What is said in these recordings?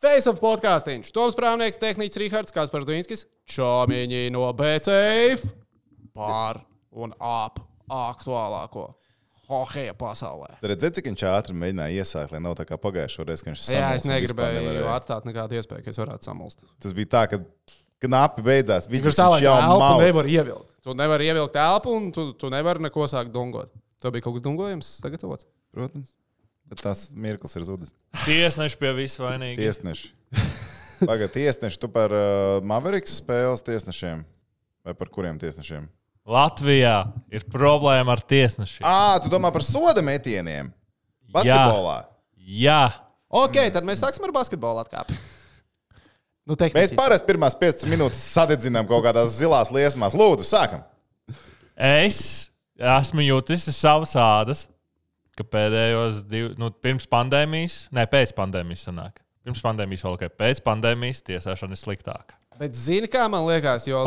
Face of podkāstiņš. Toms Prāvnieks, tehniķis Rihards Kaspars Dvīnskis, čomiņi no BCF pār un ap aktuālāko hokeja pasaulē. Tad redzēt, cik viņš ātri mēģināja iesākt, lai nav tā kā pagājušo reizi, ka viņš samulst. Jā, es negribēju atstāt nekādu iespēju, ka es varētu samulst. Tas bija tā, ka knapi beidzās. Viņš jau elpu nevar ievilkt. Tu nevari ievilkt elpu un tu nevari neko sākt dungot. Tev bija kaut kas dungojams sagatavots? Protams. Bet tās mirklis ir zudis. Tiesneši pie visu vainīgi. Tiesneši. Pagad, tiesneši, tu par Mavericks spēles tiesnešiem? Vai par kuriem tiesnešiem? Latvijā ir problēma ar tiesnešiem. Tu domā par soda metieniem? Basketbolā? Jā. Ok, tad mēs sāksim ar basketbolu atkāpi. Nu, mēs parasti pirmās 15 minūtes sadedzinām kaut kādās zilās liesmās. Lūdzu, sākam. Es esmu jūtis savas ādas, ka pēdējos pirms pandēmijas, pēc pandēmijas sanāk. Pirms pandēmijas vēl ok, pēc pandēmijas tiesāšana ir sliktāka. Bet zini, kā man liekas, jo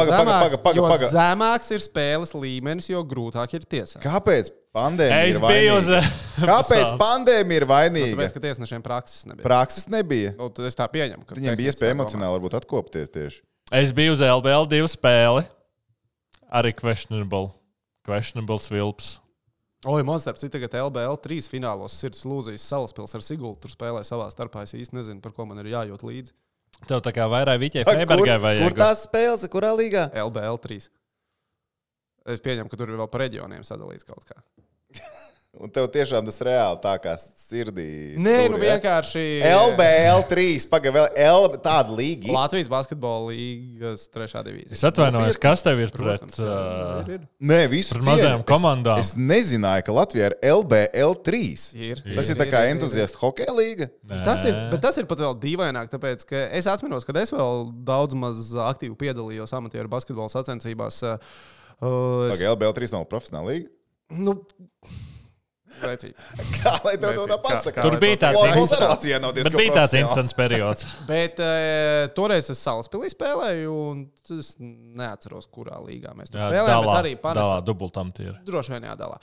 zemāks ir spēles līmenis, jo grūtāk ir tiesāt. Kāpēc pandēmija ir vainīga? Kāpēc pandēmija ir vainīga? Tāpēc, ka tiesnešiem prakses nebija. Prakses nebija? Es tā pieņemu. Viņiem bija iespēja emocionāli varbūt atkopties tieši. Es biju uz LBL 2 spēli. Arī questionable svilps. Oi, man starp citu tagad LBL 3 finālos sirds lūzīs Salaspils ar Sigultu. Tur spēlē savā starpā. Es īsti nezinu, par ko man ir jājūt līdzi. Tev tā kā vairāk Viķai Freibergai vajag. Kur tās spēles? Kurā līgā? LBL 3. Es pieņemu, ka tur ir vēl pa reģioniem sadalīts kaut kā. Un tev tiešām tas reāli tā kā sirdī. Nē, tur, vienkārši. LBL 3, pagaid, tāda līga. Latvijas basketbola līgas 3. divīzija. Es atvainojos, kas tev ir pret Nē, visu mazajām komandām? Es nezināju, ka Latvijā ir LBL 3. Tas ir tā kā entuziastu hokeja līga. Bet tas ir pat vēl dīvaināk, tāpēc, ka es atminos, kad es vēl daudz maz aktīvi piedalījos amatieru basketbola sacensībās. LBL 3 nav profesionāla līga? Nu... Precīzi. Kā lai tev to pasaka? Tur bija tāds interesants periods. Bet toreiz es Salaspilī spēlēju, un es neatceros, kurā līgā mēs tur spēlējām. Bet arī Panesā. Dubultamatieri. Droši vien jādalā.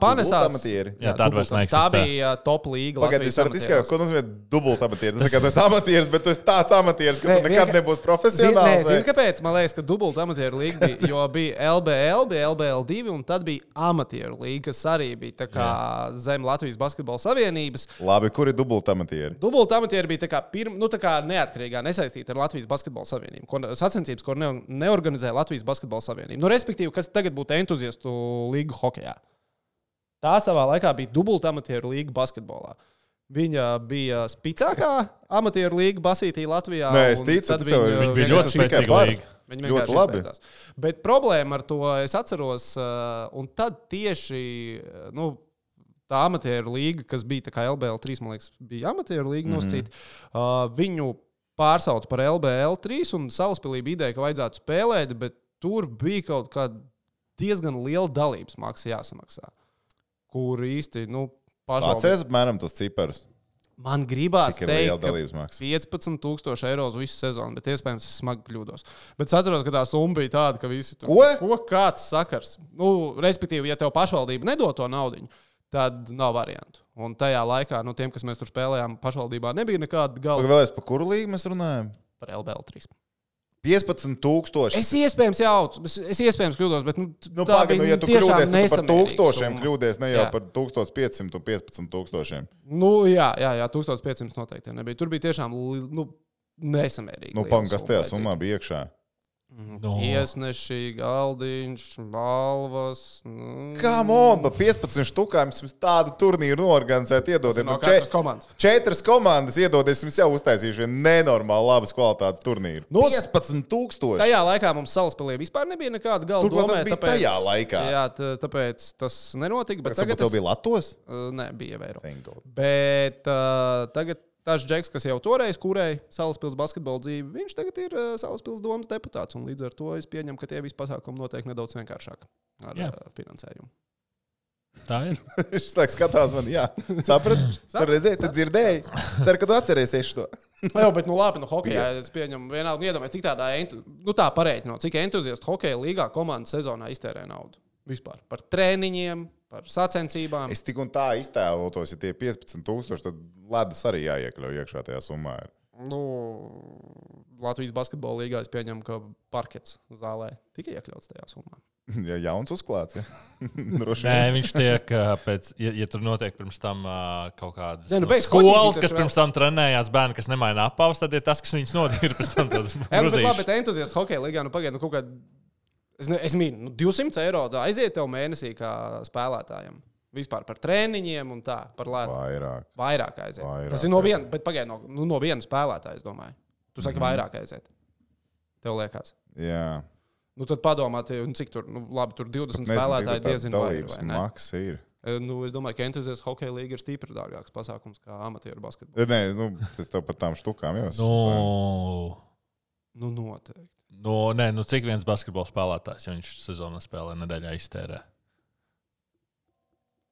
Panesās. Jā, tāda vairs neeksistē. Tā bija top līga. Pagaid, jūs varat izskaidrot, ko nozīmē dubultamatieris. Tas ir kā tu esi amatieris, bet tu esi tāds amatieris, ka tu nekad nebūs profesionāls. Zini, kāpēc? Man liekas, ka dubultamatieru līga bija, jo bija LBL, bija LBL 2, un tad bija amatieru līga, kas arī bija tā kā zem Latvijas basketbola savienības. Labi, kur ir dubultamatieri? Dubultamatieri bija tā kā neatkarīgā, nesaistīta ar Latvijas basketbola savienību. Sacensības, ko neorganizēja Latvijas basketbola savienība. Respektīvi, kas tagad būtu entuziastu līga hokejā. Tā savā laikā bija dubultamatieru līga basketbolā. Viņa bija spicākā amatieru līga basītī Latvijā. Nē, es ticu, viņa bija ļoti spēcīga līga. Viņi vienkārši izbeidzās. Bet problēma ar to es atceros, un tad tieši, tā amatieru līga, kas bija tā kā LBL 3, man liekas, bija amatieru līga nosacīta, viņu pārsauc par LBL 3 un Salaspilī bija ideja, ka vajadzētu spēlēt, bet tur bija kaut kāda diezgan liela dalības maksa jāsamaksā, kur īsti, pašvaldība. Atceries apmēram tos ciparus? Man gribās teikt, ka €15,000 uz visu sezonu, bet iespējams es smagi kļūdos. Bet es atceros, ka tā summa bija tāda, ka visi tur... Ko? Kāds sakars? Respektīvi, ja tev pašvaldība nedod to naudiņu, tad nav variantu. Un tajā laikā, tiem, kas mēs tur spēlējām, pašvaldībā nebija nekāda galva. Vēlreiz par kuru līgu mēs runājam? Par LBL 3. 15,000. Es iespējams jaucu, es iespējams kļūdos, bet tā bija ja tu tiešām kļūdies, tu par 1000 nesamērīga kļūdies, ne jau par 1500 un 15,000. Jā, 1500 noteikti nebija. Tur bija tiešām nesamērīgi. Kas tajā summā bija iekšā? Tiesneši, galdiņš, balvas. Come on, pa 15 štukām jums tādu turnīru noorganizēt, iedodiet. No katras komandas. 4 komandas iedodies, jums jau uztaisījuši vienu nenormāli labas kvalitātes turnīru. 15,000! Tajā laikā mums Salaspilī vispār nebija nekāda galda domē. Tas bija tajā laikā. Jā, tāpēc tas nenotika. Bet tagad tev bija Latvijas? Nē, bija Eiro. Bet tagad tas Džeks, kas jau toreiz kūrēja Salaspils basketbola dzīvi, viņš tagad ir Salaspils domas deputāts. Un līdz ar to es pieņemu, ka tie visi pasākumi notiek nedaudz vienkāršāk ar finansējumu. Tā ir. Šis laiks skatās man, jā. Sapratu? Redzēji, tu dzirdēji. Ceru, ka tu atcerēsies to. Jā, bet labi, hokejā es pieņemu vienalga iedomājies, cik tādā, tā pareiķinot, cik entuziastu hokeja līgā komandas sezonā iztērē naudu. Vispār. Par trēniņiem, par sacensībām. Es tik un tā iztēlotos, ja tie 15,000, tad ledus arī jāiekļauj iekšā tajā summā. Latvijas basketbola līgā es pieņemu, ka parkets zālē tika iekļauts tajā summā. Ja jauns uzklāts, ja. Nē, viņš tiek pēc, ja tur notiek pirms tam kaut kādas skolas, kas pirms tam trenējās bērni, kas nemaina apavus, tad ir tas, kas viņus nodīra pēc tam tādas bruzīšas. Bet entuziasts hokeja līgā, pagaid, kaut kādā, es mīnu, 200 eiro aiziet tev mēnesī kā spēlētājiem. Vispār par trēniņiem un tā, par lētu. Vairāk aiziet. Tas ir no viena, bet pagaid, no viena spēlētāja, es domāju. Tu saki vairāk aiziet. Tev liekas. Jā. Tad padomā, cik tur, labi, tur 20 spēlētāji diezin vai ir, vai ne? Maksa ir. Es domāju, ka entuziasts hokeja līga ir stipri dārgāks pasākums kā amatieru basketbols. Nē, tas tev par tām štukām jau. Noteikti. Cik viens basketbola spēlētājs, ja viņš sezonā spēlē nedēļā iztērē?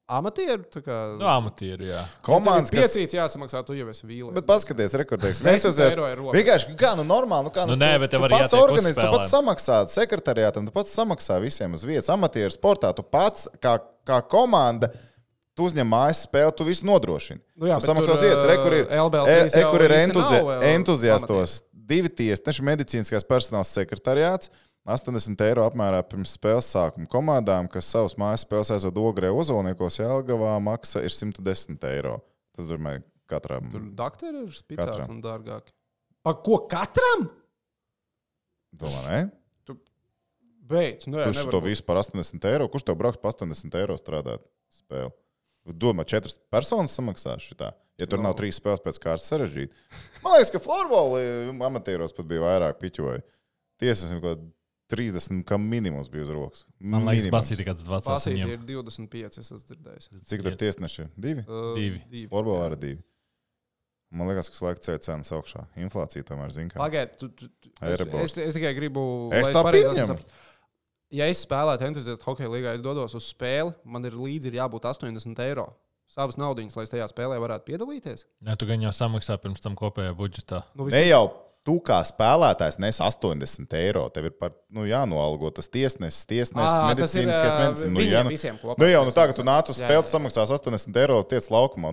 Amatieru? Amatieru, jā. Komandas, kas... Piecīts jāsamaksā, tu jau esi vīlies. Bet paskaties, rekordēks. Vienkārši, normāli. Bet tu pats organizē, tu pats samaksā sekretariātam, tu pats samaksā visiem uz vietas. Amatieru sportā tu pats, kā komanda, tu uzņem mājas spēli, tu visu nodrošini. Tu samaksā uz vietas. Kur ir entuziastos 2 tiesneši, medicīniskās personāls sekretariāts. 80 eiro apmērā pirms spēles sākuma komandām, kas savus mājas spēles aizved Ogrē Ozolniekos, Jelgavā maksa ir 110 eiro. Tas, domāju, katram. Tur dakteri ir spicāki un dārgāki. Pa ko katram? Domā, ne? Tu beidz. Kurš to visu par 80 eiro? Kurš tev brauks par 80 eiro strādāt spēli? Domā, 4 personas samaksās šitā. Ja tur nav 3 spēles pēc kārtas sarežģīti. Man liekas, ka florboli amatieros pat bija vairāk piķoja. Tiesasim, ko 30, kam minimums bija uz rokas. Man liekas, Basīti kāds 20. Basīti ir 25, es esmu dzirdējis. Cik tur tiesneši? 2? 2. Florbolā ir 2. Man liekas, ka laika ceļ cenas augšā. Inflācija tomēr zina, kā. Pagaid, es tikai gribu... Es tā pieņemu. Ja es spēlētu entuziastu hokeja līgā, es dodos uz spēli, man ir līdzi jābūt 80 eiro. Savas naudiņas, lai es tajā spēlē varētu piedalīties. Jā, tu gan jau samaksā pirms tam kopējā budžetā. Ne jau. Tu kā spēlētājs nes 80 eiro. Tev ir jānoalgo tas tiesnesis, medicīniskais medicīns. Viņiem visiem kopā. Tā, ka tu nāc uz spēli, tu samaksās 80 eiro, tiec laukumā.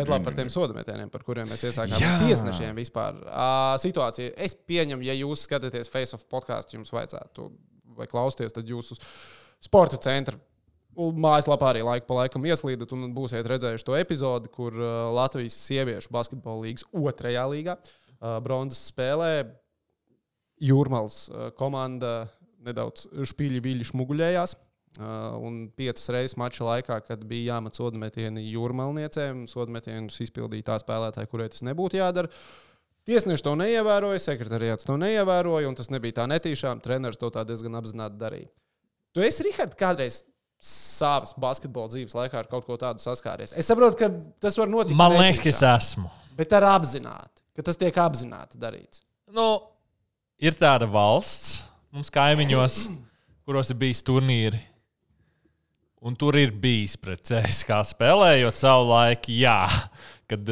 Bet labi par tiem sodametieniem, par kuriem mēs iesākām tiesnešiem vispār. Situācija, es pieņemu, ja jūs skatāties Face of podcastu, jums vajadzētu, vai klausties, tad jūs uz sporta centra mājaslapā arī laiku pa laikam ieslīdat un būsiet redzējuši to epizodi, kur Latvijas sieviešu basketbola līgas 2. līgā bronzas spēlē Jūrmals komanda nedaudz špīļi šmuguļējās. Un 5 reizes mača laikā, kad bija jāmet sodametieni Jūrmalniecēm, sodametienus izpildīja tā spēlētāja, kurai tas nebūtu jādara. Tiesneši to neievēroja, sekretariāts to neievēroja, un tas nebija tā netīšām. Treneris to tā diezgan apzināti darīja. Tu esi, Rihard, kādreiz savas basketbola dzīves laikā ar kaut ko tādu saskāries. Es saprotu, ka tas var notikt. Man liekas, ka es esmu. Bet ar apzināti, ka tas tiek apzināti darīts. Ir tāda valsts mums kaimiņos, kuros ir bijis turnīri. Un tur ir bijis pret CSKA spēlējot savu laiku, jā. Kad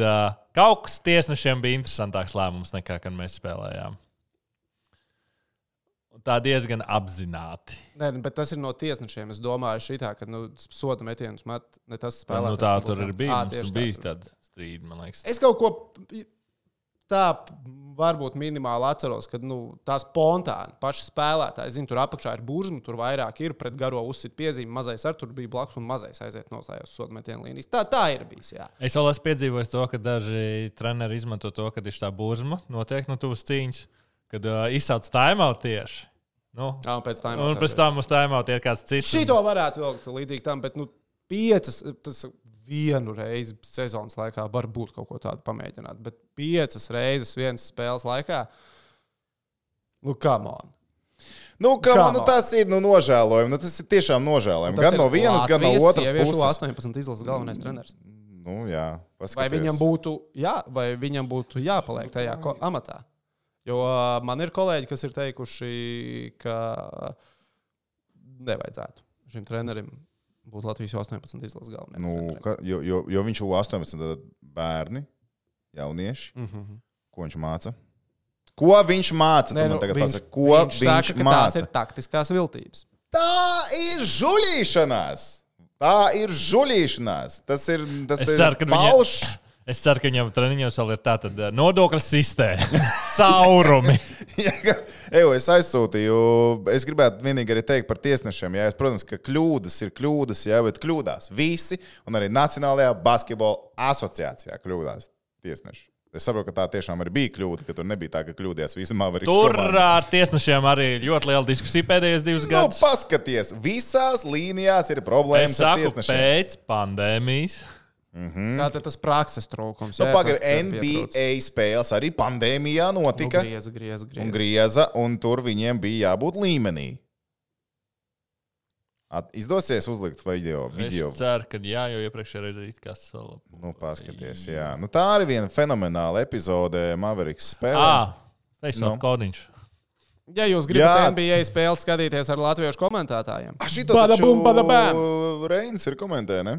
kaut kas tiesnešiem bija interesantāks lēmums nekā, kad mēs spēlējām. Tā diezgan apzināti. Nē, bet tas ir no tiesnešiem. Es domāju, šitā, ka soda metienus met ne tas spēlētājs. Tā tur ir bijis tāda strīda, man liekas. Es kaut ko tā varbūt minimāli atceros, ka tā spontāni paši spēlētāji, zinu, tur apakšā ir burzma, tur vairāk ir pret garo uzsit piezīmi, mazais ar tur bija blakus un mazais aiziet nostājos soda metienu līnijas. Tā ir bijis, jā. Es vēl esmu piedzīvojis to, ka daži treneri izmanto to, kad ir tā burzma notiek no tuvas cīņas. Kad izsauc timeout tieši. Un pēc tam uz timeout ir kāds cits. Šito varētu vilkt līdzīgi tam, bet 5, tas vienu reizi sezonas laikā var būt kaut ko tādu pamēģināt. Bet 5 reizes vienas spēles laikā, come on. Tas ir nožēlojumi. Tas ir tiešām nožēlojumi. Gan no vienas, gan no otras puses. 18 izlases galvenais treneris. Jā. Vai viņam būtu jāpaliek tajā amatā? Jo man ir kolēģi, kas ir teikuši, ka nevajadzētu šim trenerim būt Latvijas 18 izlases galvenais. Jo viņš ir 18 bērni, jaunieši. Ko viņš māca? Ko viņš māca? Viņš saka, ka tās ir taktiskās viltības. Tā ir žuļīšanās! Tas ir falšs. Es ceru, ka viņam treniņos vēl ir tāda nodokļu sistēma. Caurumi. Es aizsūtīju. Es gribētu vienīgi arī teikt par tiesnešiem. Jā, protams, ka kļūdas ir kļūdas, jā, bet kļūdās visi. Un arī Nacionālajā basketbola asociācijā kļūdās tiesneši. Es saprotu, ka tā tiešām arī bija kļūda, ka tur nebija tā, ka kļūdījās visi Mavericks komanda. Tur ar tiesnešiem arī ļoti liela diskusija pēdējos 2 gadus. Paskaties, visās līnijās ir problēmas ar tiesnešiem. Pēc pandēmijas. Tātad tas prakses trūkums. NBA spēles arī pandēmijā notika. Grieza, un tur viņiem bija jābūt līmenī. Izdosies uzlikt video? Es ceru, ka jā, jo iepriekšējā reizē it-kas vēl. Paskaties, jā. Tā arī viena fenomenāla epizode Mavericks spēlē. Face-off kodiņš. Ja jūs gribat NBA spēles skatīties ar latviešu komentētājiem. Šito taču Reinis ir komentē, ne?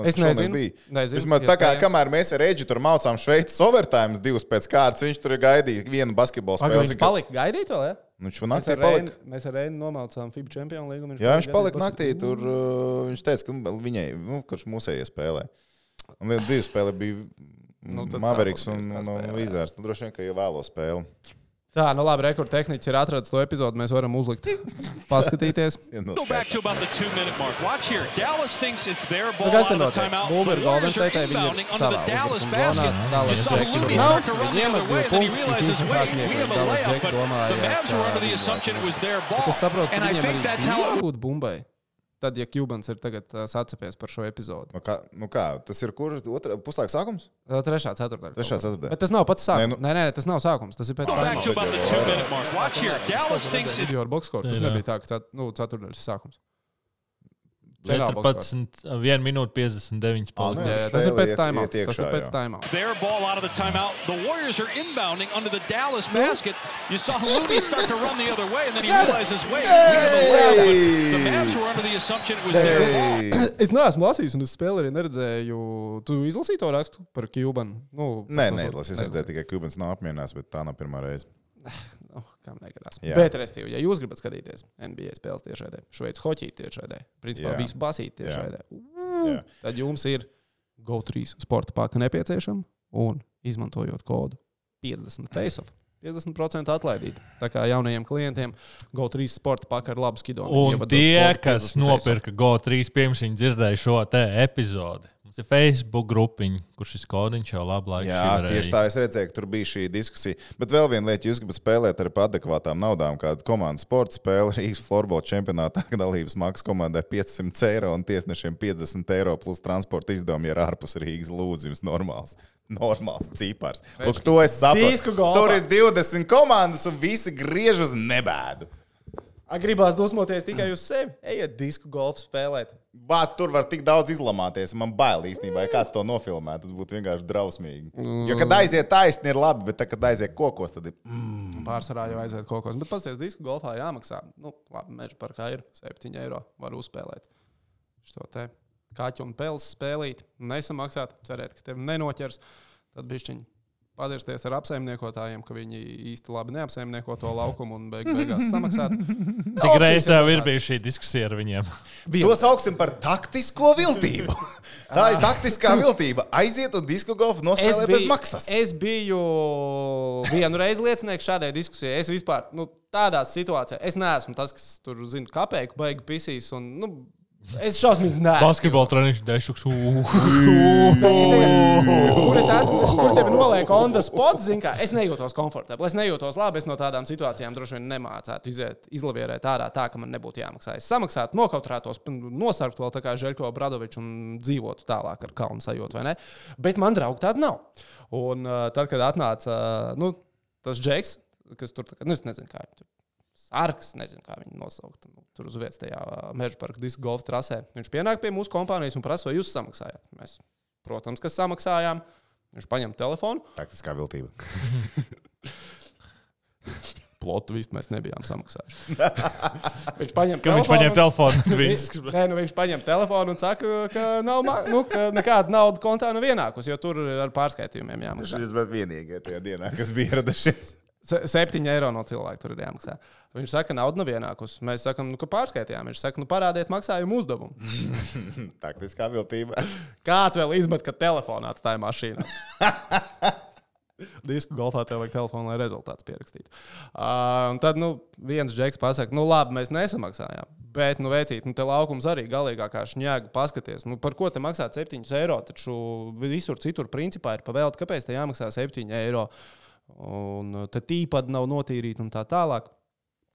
Es nezinu. Vismaz tā kā, kamēr mēs ar Edži tur maucām Šveices overtime 2 pēc kārtas, viņš tur gaidīja vienu basketbolu spēli. Viņš palika gaidīt vēl, ja? Viņš naktī palika. Mēs ar Reini nomaucām FIBA čempionu līgu. Jā, viņš palika naktī, tur viņš teica, ka viņai, kurš mūsējie spēlē. Un 2 spēle bija Mavericks un Wizards. Tad droši vien, ka jau vēlo spēli. Tā, labi, rekords tehniķis ir atradis to epizodu, mēs varam uzlikt, paskatīties. Kas te notiek? Bulber Golden State, viņi ir savā uzbrukuma zonā, Dallas Džeki tur nav, viņiem ar 2 punktus, un tās mieklīgi Dallas Džeki domāja, bet es saprotu, ka viņiem arī jābūt bumbai. Tad, ja Cubans ir tagad sacepies par šo epizodu. Kā? Tas ir kur? Puslaika sākums? 3. ceturtdaļa. Bet tas nav pats sākums. Nē, tas nav sākums. Tas ir pēc tam. Video ar boxscore. Tas nebija tā, ka ceturtdaļas sākums. 14, 1 minūte 59 palika. Tas ir pēc timeout. Tas ir pēc timeout. Their ball out of the timeout. The Warriors are inbounding under the Dallas basket. You saw Looney start to run the other way, and then he realizes, wait, the Mavs were under the assumption it was their ball. Es neesmu lasījis, un es spēli arī neredzēju. Tu izlasīji to rakstu par Cubanu? Nē, neizlasīju. Es redzēju tikai Cubans nav apmierinās, bet tā nav pirmā reize. Kam negadās. Bet, respektīvi, ja jūs gribat skatīties NBA spēles tiešraidē, Šveices hoķī tiešraidē, principā visu basīti tiešraidē, tad jums ir GO3 sporta paka nepieciešama un izmantojot kodu 50 face-off. 50% atlaidīt. Tā kā jaunajiem klientiem GO3 sporta paka ar labu skidonu. Un tie, kas nopirka GO3 pirms viņi dzirdēja šo te epizodi. Mums ir Facebook grupiņa, kur šis kodiņš jau labu laiku šķirēja. Tieši tā, es redzēju, ka tur bija šī diskusija. Bet vēl viena lieta, jūs gribat spēlēt ar adekvātām naudām, kāda komandas sporta spēle Rīgas florbola čempionātā, kad dalības maksas komandai 500 eiro un tiesnešiem 50 eiro plus transporta izdevumi ir ārpus Rīgas lūdzības normāls cipars. Lūk, to es saprotu. Tur ir 20 komandas un visi griež uz nebēdu. Gribās dusmoties tikai uz sevi. Ejiet disku golfu spēlēt. Bāc, tur var tik daudz izlamāties. Man bail īstenībā, ja kāds to nofilmē. Tas būtu vienkārši drausmīgi. Jo, kad aiziet taisni, ir labi, bet tad, kad aiziet kokos, tad ir... Pārsvarā jau aiziet kokos. Bet pasties, disku golfā jāmaksā. Labi, meža parkā ir 7 eiro. Var uzspēlēt. Šo te kaķu un peles spēlīt. Nesamaksāt, cerēt, ka tevi nenoķers. Tad bišķiņi padirsties ar apsaimniekotājiem, ka viņi īsti labi neapsaimnieko to laukumu un beigās samaksāt. Cik reiz tev ir bijusi šī diskusija ar viņiem? To sauksim par taktisko viltību. Tā ir taktiskā viltība. Aiziet un disku golfu nospēlē bez maksas. Es biju vienu reizi liecinieks šādai diskusijai. Es vispār, tādās situācijās, es neesmu tas, kas tur, kapeiku baigi pisīs un, es šausmīgi neesmu. Basketbola treniņš dešuks. Kur es esmu, kur tevi noliek on the spot, kā, es nejūtos komfortabli, es nejūtos labi, es no tādām situācijām droši vien nemācētu izlavierēt ārā tā, ka man nebūtu jāmaksā. Es samaksātu, nokautrētos, nosargtu vēl tā kā Žeļko Bradoviču un dzīvotu tālāk ar kalnu sajūtu, vai ne? Bet man draugi tāda nav. Un tad, kad atnāca, tas Džeks, kas tur, es nezinu, kā viņš tur. Sarks, nezinu, kā viņu nosaukt. Tur uz vietas tajā meža parka disku golfa trasē. Viņš pienāk pie mūsu kompānijas un prasa, vai jūs samaksājāt. Mēs, protams, kas samaksājām. Viņš paņem telefonu. Taktiskā viltība. Plotu visu mēs nebijām samaksājuši. Viņš paņem telefonu. Viņš paņem telefonu un saka, ka nav, ka nekāda nauda kontā nav ienākusi, jo tur ar pārskaitījumiem jāmaksā. Šis bija vienīgais tajā dienā, kas bija ieradušies. 7 eiro no cilvēka tur ir jāmaksā. Viņš saka, nauda nav ienākusi. Mēs sakām, ka pārskaitījām. Viņš saka, parādiet maksājumu uzdevumu. Taktiskā viltība. Kāds vēl izmet, ka telefonā atstāja mašīnā? Disku golfā tev vajag telefonu, lai rezultāts pierakstītu. Un tad, viens džeks pasaka, labi, mēs nesamaksājām. Bet, veicīt, te laukums arī galīgā kā šņēga paskaties. Par ko te maksāt 7 eiro? Taču visur citur principā ir pavēlti, kāpēc te jāmaksā 7 eiro? Un te tīpad nav notīrīt un tā tālāk.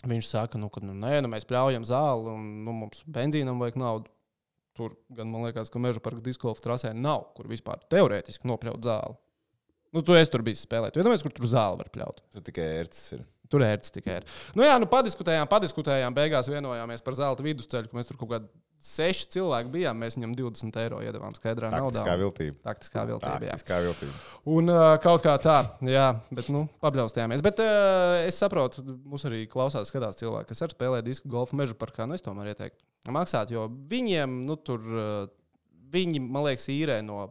Viņš saka, ka mēs pļaujam zāli un mums benzīnam vajag naudu. Tur gan, man liekas, ka Meža parka diskolfa trasē nav, kur vispār teorētiski nopļaut zāli. Tu esi tur bijis spēlēt. Tu iedomājies, kur tur zāli var pļaut. Tur tikai ērts ir. Tur ērts tikai ir. Padiskutējām, beigās vienojāmies par zelta vidusceļu, ka mēs tur kaut kādi 6 cilvēki bijām. Mēs viņam 20 eiro iedavām skaidrā naudā. Taktiskā viltība. Un kaut kā tā, jā, bet pabļaustījāmies. Bet es saprotu, mums arī klausās, skatās cilvēki, kas ar spēlē disku golfu Meža parkā. Es tomēr ieteiktu maksāt, jo viņiem, tur, viņi, man liekas, īrē no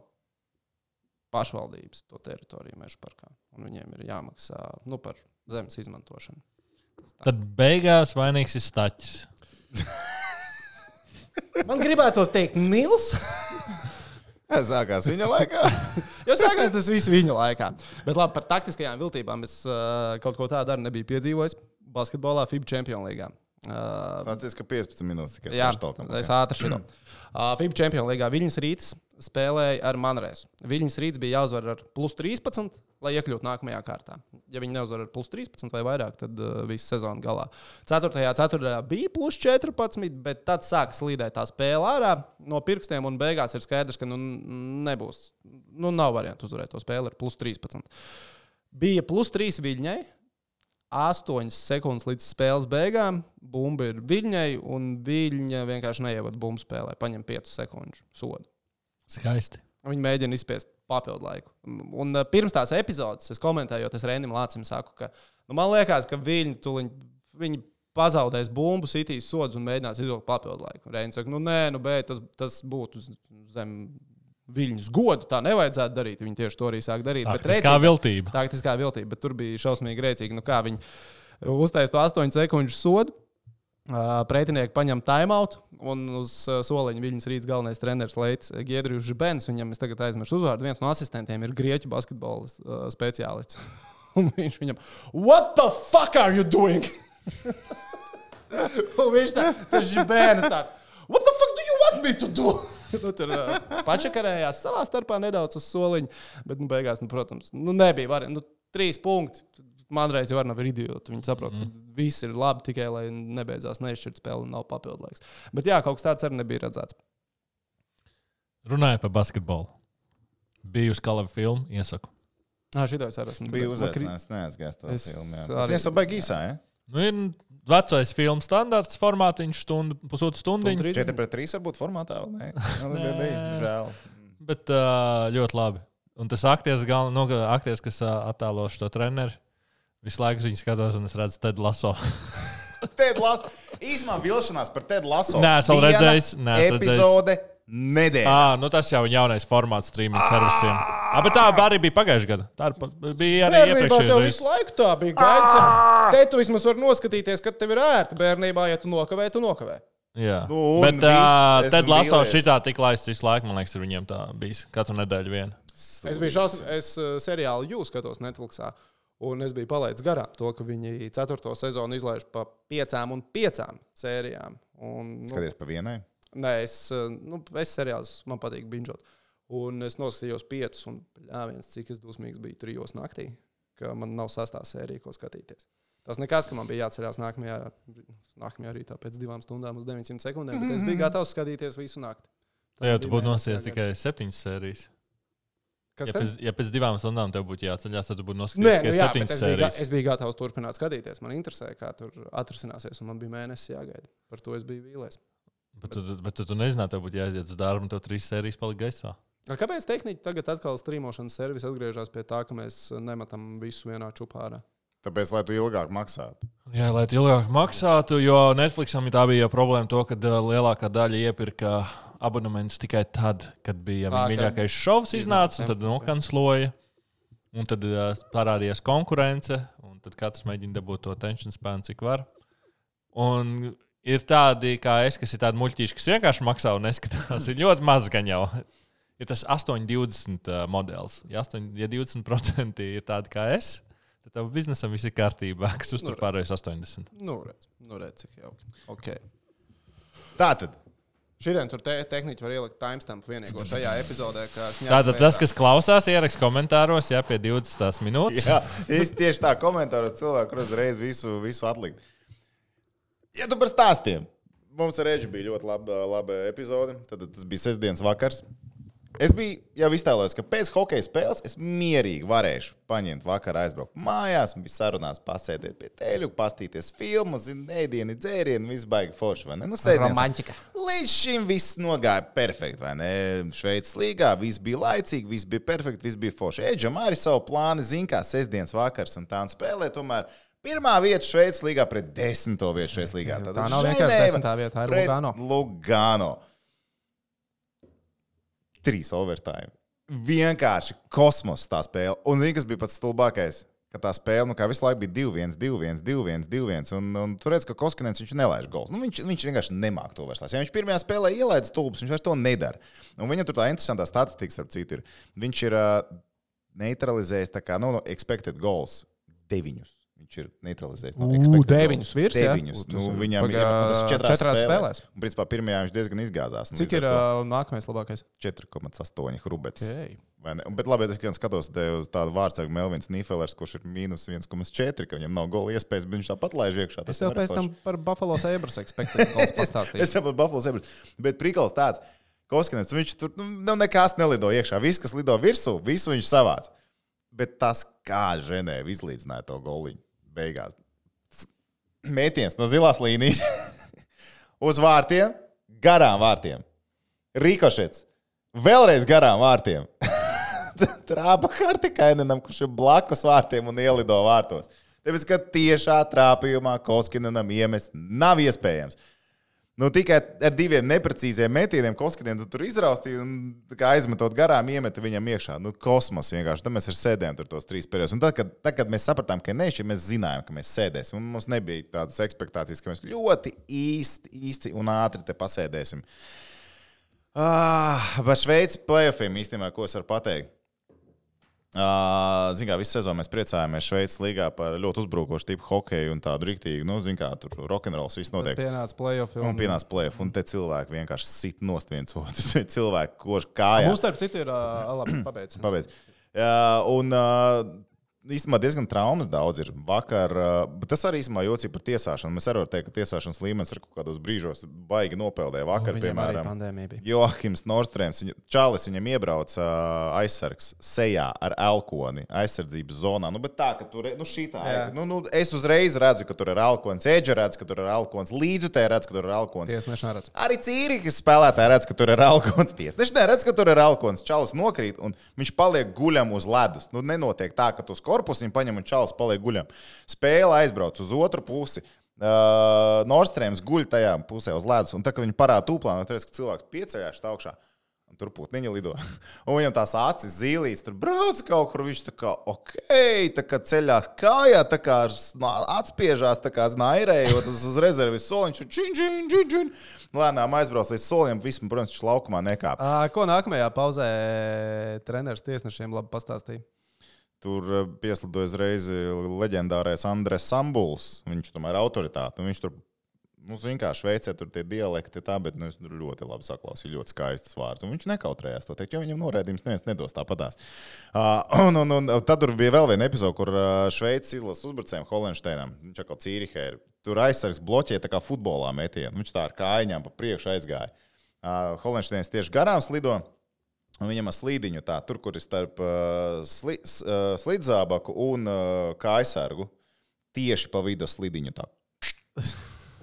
pašvaldības to teritoriju Meža parkā. Un viņiem ir jāmaksā par zemes izmantošanu. Tad beigās vainīgs ir Staķis. Man gribētos teikt Nils. Sākās viņa laikā. Jo sākās tas viss viņa laikā. Bet labi, par taktiskajām viltībām es kaut ko tādu arī nebiju piedzīvojis basketbolā FIBA Champions Līgā. Tas ir 15 minūtes tikai. Jā, es ātri šito. FIBA Champions Līgā Viļņas Rīts spēlēja ar Manrēsu. Viļņas Rīts bija jāuzvar ar +13, lai iekļūtu nākamajā kārtā. Ja viņi neuzvar ar +13 vai vairāk, tad viss sezona galā. 4. bija +14, bet tad sāka slīdēt tā spēle ārā no pirkstiem un beigās ir skaidrs, ka nebūs. Nav variantu uzvarēt to spēli ar +13. Bija +3 Viļņai. 8 sekundes līdz spēles beigām. Bumba ir Viļņai, un Viļņa vienkārši neievada bumbu spēlē. Paņem 5 sekundžu sodu. Skaisti. Viņi mēģina izspiest papildu laiku. Un pirms tās epizodes es komentēju, es Rendim Lācim saku, ka man liekas, ka viņi pazaudēs bumbu, sitīs sodus un mēģinās izvilkt papildu laiku. Reinis saka, bet tas būtu zem Viļņus godu. Tā nevajadzētu darīt. Viņi tieši to arī sāk darīt. Taktiskā viltība, bet tur bija šausmīgi rēcīgi. Kā viņi uztaisīja to 8 sekundžu sodu, pretinieki paņem timeout, un uz soliņa Viļņas Rīts galvenais treneris Leits Giedrius Žibens, viņam es tagad aizmirsu uzvārdu, viens no asistentiem ir grieķu basketbola speciālists. Un viņš viņam, what the fuck are you doing? Un viņš tas Žibens tāds, what the fuck do you want me to do? Tur pačakarējās savā starpā nedaudz uz soliņa, bet beigās, protams, nebija variantu. 3 punkti. Manreiz jau nav idioti. Viņi saprot, ka viss ir labi tikai, lai nebeidzās neizšķirt spēli un nav papildu laiks. Bet jā, kaut kas tāds arī nebija redzēts. Runājot par basketbolu. Biju uz Kalavu filmu, iesaku. Šitā es arī esmu. Biju uzaicinājis, neaizgājis to filmu. Tas jau baigi īsā, ja? Ir vecais filmu standarts, formātiņš, pusotru stundiņu. 4-3 varbūt formātā, vai ne? Žēl. Bet ļoti labi. Un tas aktieris, kas attēlo šo treneri, visu laiku viņu skatos, un es redzu Ted Lasso. Īsumā vilšanās par Ted Lasso. Nē, es vēl redzējis. Epizode nedēļa. Tas jau ir jaunais formāts streaming servisiem. Bet tā arī bija pagājušajā gadā. Tā bija arī iepriekšējā reizē. Visu laiku tā bija gaidīts. Te tu vismaz vari noskatīties, kad tev ir ērti bērnībā, ja tu nokavē. Jā, bet Ted Lasso šitā tik laists visu laiku, man liekas, ir viņiem tā bijis. Katru nedēļu viena. Es seriālu You skatos Netflixā, un es biju palaidis garām to, ka viņi 4. sezonu izlaiž pa 5 sērijām. Skaties pa vienai? Nē, es seriāls man patīk binžot. Un es noskatījos 5, un cik es dusmīgs biju 3 naktī, ka man nav 6. sērija, ko skatīties. Tas nekas, ka man bija jāatcerās nākamajā rītā pēc 2 stundām uz 900 sekundēm, bet es biju gatavs skatīties visu nakti. Jā, tu būtu nosties tikai 7 sērijas. Ja pēc 2 stundām tev būtu jāceļās, tad tu būtu noskatījies tikai 7 sērijas. Es biju gatavs turpināt skatīties. Man interesēja, kā tur atrisināsies, un man bija mēnesis jāgaida. Par to es biju vīlies. Bet tu nezināji, tev būtu jāiziet uz darbu, un tev 3 sērijas palika gaisā. Kāpēc tehniķi tagad atkal strīmošanas servis atgriežas pie tā, ka mēs nemetam visu vienā čupā ārā? Tāpēc, lai tu ilgāk maksātu. Jā, lai tu ilgāk maksātu, jo Netflixam tā bija problēma to, ka lielākā daļa iepirka abonementus tikai tad, kad bija mīļākais šovs iznāca, un tad nokansloja, un tad parādījās konkurence, un tad katrs mēģina dabūt to attention span, cik var. Un ir tādi, kā es, kas ir tādi muļķīši, kas vienkārši maksā un neskatās. Ir ļoti maz gan jau. Ir tas 8,20 modelis. Ja 20% ir tādi kā es, tad tev biznesam viss ir kārtībā, kas uztur pārējais 80. Redz, cik jauki. Okay. Tātad. Šodien tur tehniķi var ielikt timestampu vienīgo šajā epizodē. Tātad tas, kas klausās, ierakst komentāros, pie 20 minūtes. Jā, tieši tā komentāros cilvēku uzreiz visu atlikt. Ja tu par stāstiem. Mums ar Edži bija ļoti laba epizode. Tad tas bija sestdienas vakars. Es biju jau iztēlojis, ka pēc hokeja spēles es mierīgi varēšu paņemt vakarā aizbraukt mājās un bija sarunās pasēdēt pie teļu, pastīties filmu, ēdieni, dzērieni, viss baigi forši, vai ne? Romantika. Līdz šim viss nogāja perfekti, vai ne? Šveices līgā viss bija laicīgi, viss bija perfekti, viss bija forši. Edžam arī savu plānu, zin kā sestdienas vakars un tā un spēlē tomēr. Pirmā vieta Šveices līgā pret 10. vietu Šveices līgā. Tā nav vienkārši 10. vieta, tā ir Lugano. 3 overtime. Vienkārši kosmos tā spēle. Un zini, kas bija pats stulbākais? Ka tā spēle, kā visu laiku bija 2-1, 2-1, 2-1, 2-1. Un tur redz, ka Koskinens viņš nelaiž gols. Viņš vienkārši nemāk to vairs. Ja viņš pirmajā spēlē ielaida stulbus, viņš vairs to nedara. Un viņam tur tā interesantā statistika, starp citu, ir. Viņš ir neutralizējis tā kā, expected goals 9. Viņš ir neutralizējis. 9 virs, jā? Viņam ir tas 4 spēlēs. Un, principā, pirmajā viņš diezgan izgāzās. Cik ir nākamais labākais? 4,8 Hrubets. Okay. Bet labi, es skatos uz tādu vārdsargu Melvins Nīfelers, kurš ir mīnus 1,4, ka viņam nav gola iespējas, bet viņš tāpat laiž iekšā. Es tev pēc tam par Buffalo Sabres expected goals pastāstīju. Es tev par Buffalo Sabres. Bet prikals tāds, Koskinens, viņš tur nekas nelido iekšā. Viss, kas lido virsū, visu viņš savāc. Bet tas kā Ženēva izlīdzināja to goliņu. Beigās. Mētiens no zilās līnijas uz vārtiem, garām vārtiem. Rikošets. Vēlreiz garām vārtiem. Trāpa Hartikainenam, kurš ir blakus vārtiem un ielido vārtos. Tāpēc, ka tiešā trāpījumā Koskinenam iemest nav iespējams. Tikai ar 2 neprecīziem metieniem Koskinenu tur izraustīja un aizmetot garām iemeta viņam iekšā. Kosmos vienkārši. Tad mēs ar sēdējām tur tos 3 periodus. Un tad, kad mēs sapratām, ka nešķi, mēs zinājām, ka mēs sēdēsim. Un mums nebija tādas ekspektācijas, ka mēs ļoti īsti un ātri te pasēdēsim. Par Šveices playoffiem īstenībā, ko es varu pateikt? Zin kā, visu sezonu mēs priecājāmies Šveices līgā par ļoti uzbrukošu tipu hokeju un tādu riktīgu, zin kā, tur rock'n'rolls viss notiek. Pienāca playoff. Pienāca playoff, un te cilvēki vienkārši sit nost viens otru. Cilvēki kož kājā. Mums starp citu ir labi pabeidz. Un īstenībā diezgan traumas daudz ir. Vakar, bet tas arī īstenībā jocīgi par tiesāšanu. Mēs arī varam teikt, ka tiesāšanas līmenis ir kaut kādos brīžos baigi nopeldēja. Vakar, piemēram, Joakims Nordstrēms, Čālis viņam iebrauca aizsargs sejā ar elkoni aizsardzības zonā. Bet tā, ka tur šitā. Es uzreiz redzu, ka tur ir elkons. Edža redz, ka tur ir elkons. Līdzutē redz, ka tur ir elkons. Tiesneši neredz. Arī Cīrihas spēlētāji redz, ka tur ir elkons. Tiesneši neredz, ka tur ir elkons. Čālis nokrīt un viņš paliek guļam uz ledus. Nenotiek tā, ka tu korpusu viņu paņem un Čālis paliek guļam. Spēle aizbrauc uz otru pusi. Nordstrēms guļ tajā pusē uz ledus. Un tā, kad viņi parāda tūplānu, tad redz, ka cilvēks pieceļās augšā. Un tur putniņa lido. Un viņam tās acis zīlīs, tur brauc kaut kur. Viņš tā kā, tā kā ceļās kājā, tā kā atspiežās, tā kā znairējot uz rezervis soliņš. Čin. Lēnām aizbrauc līdz soliem. Vismaz, protams, viņš laukumā nekāp. Ko nākamajā pauzē treneris tiesnešiem labi pastāstīja? Tur pieslidoja uzreiz leģendārais Andres Sambuls. Viņš tomēr autoritāte. Viņš tur, zin kā, Šveicē tur tie dialekti tā, bet es ļoti labi saklausīju, ļoti skaistas vārds. Un viņš nekautrējās to teikt, jo viņam norēdījums neviens nedos tāpatās. Un tad tur bija vēl viena epizode, kur Šveices izlases uzbrucējiem Holenšteinam. Viņš atkal Cīrihē ir. Tur aizsargs bloķēja tā kā futbolā metienu. Viņš tā ar kājņām pa priekšu aizgāja. Holenšteinis tieši garām slido. Un viņam ar slīdiņu tā, tur, kur ir starp slidzābaku un kājsargu, tieši pa vidu slīdiņu tā.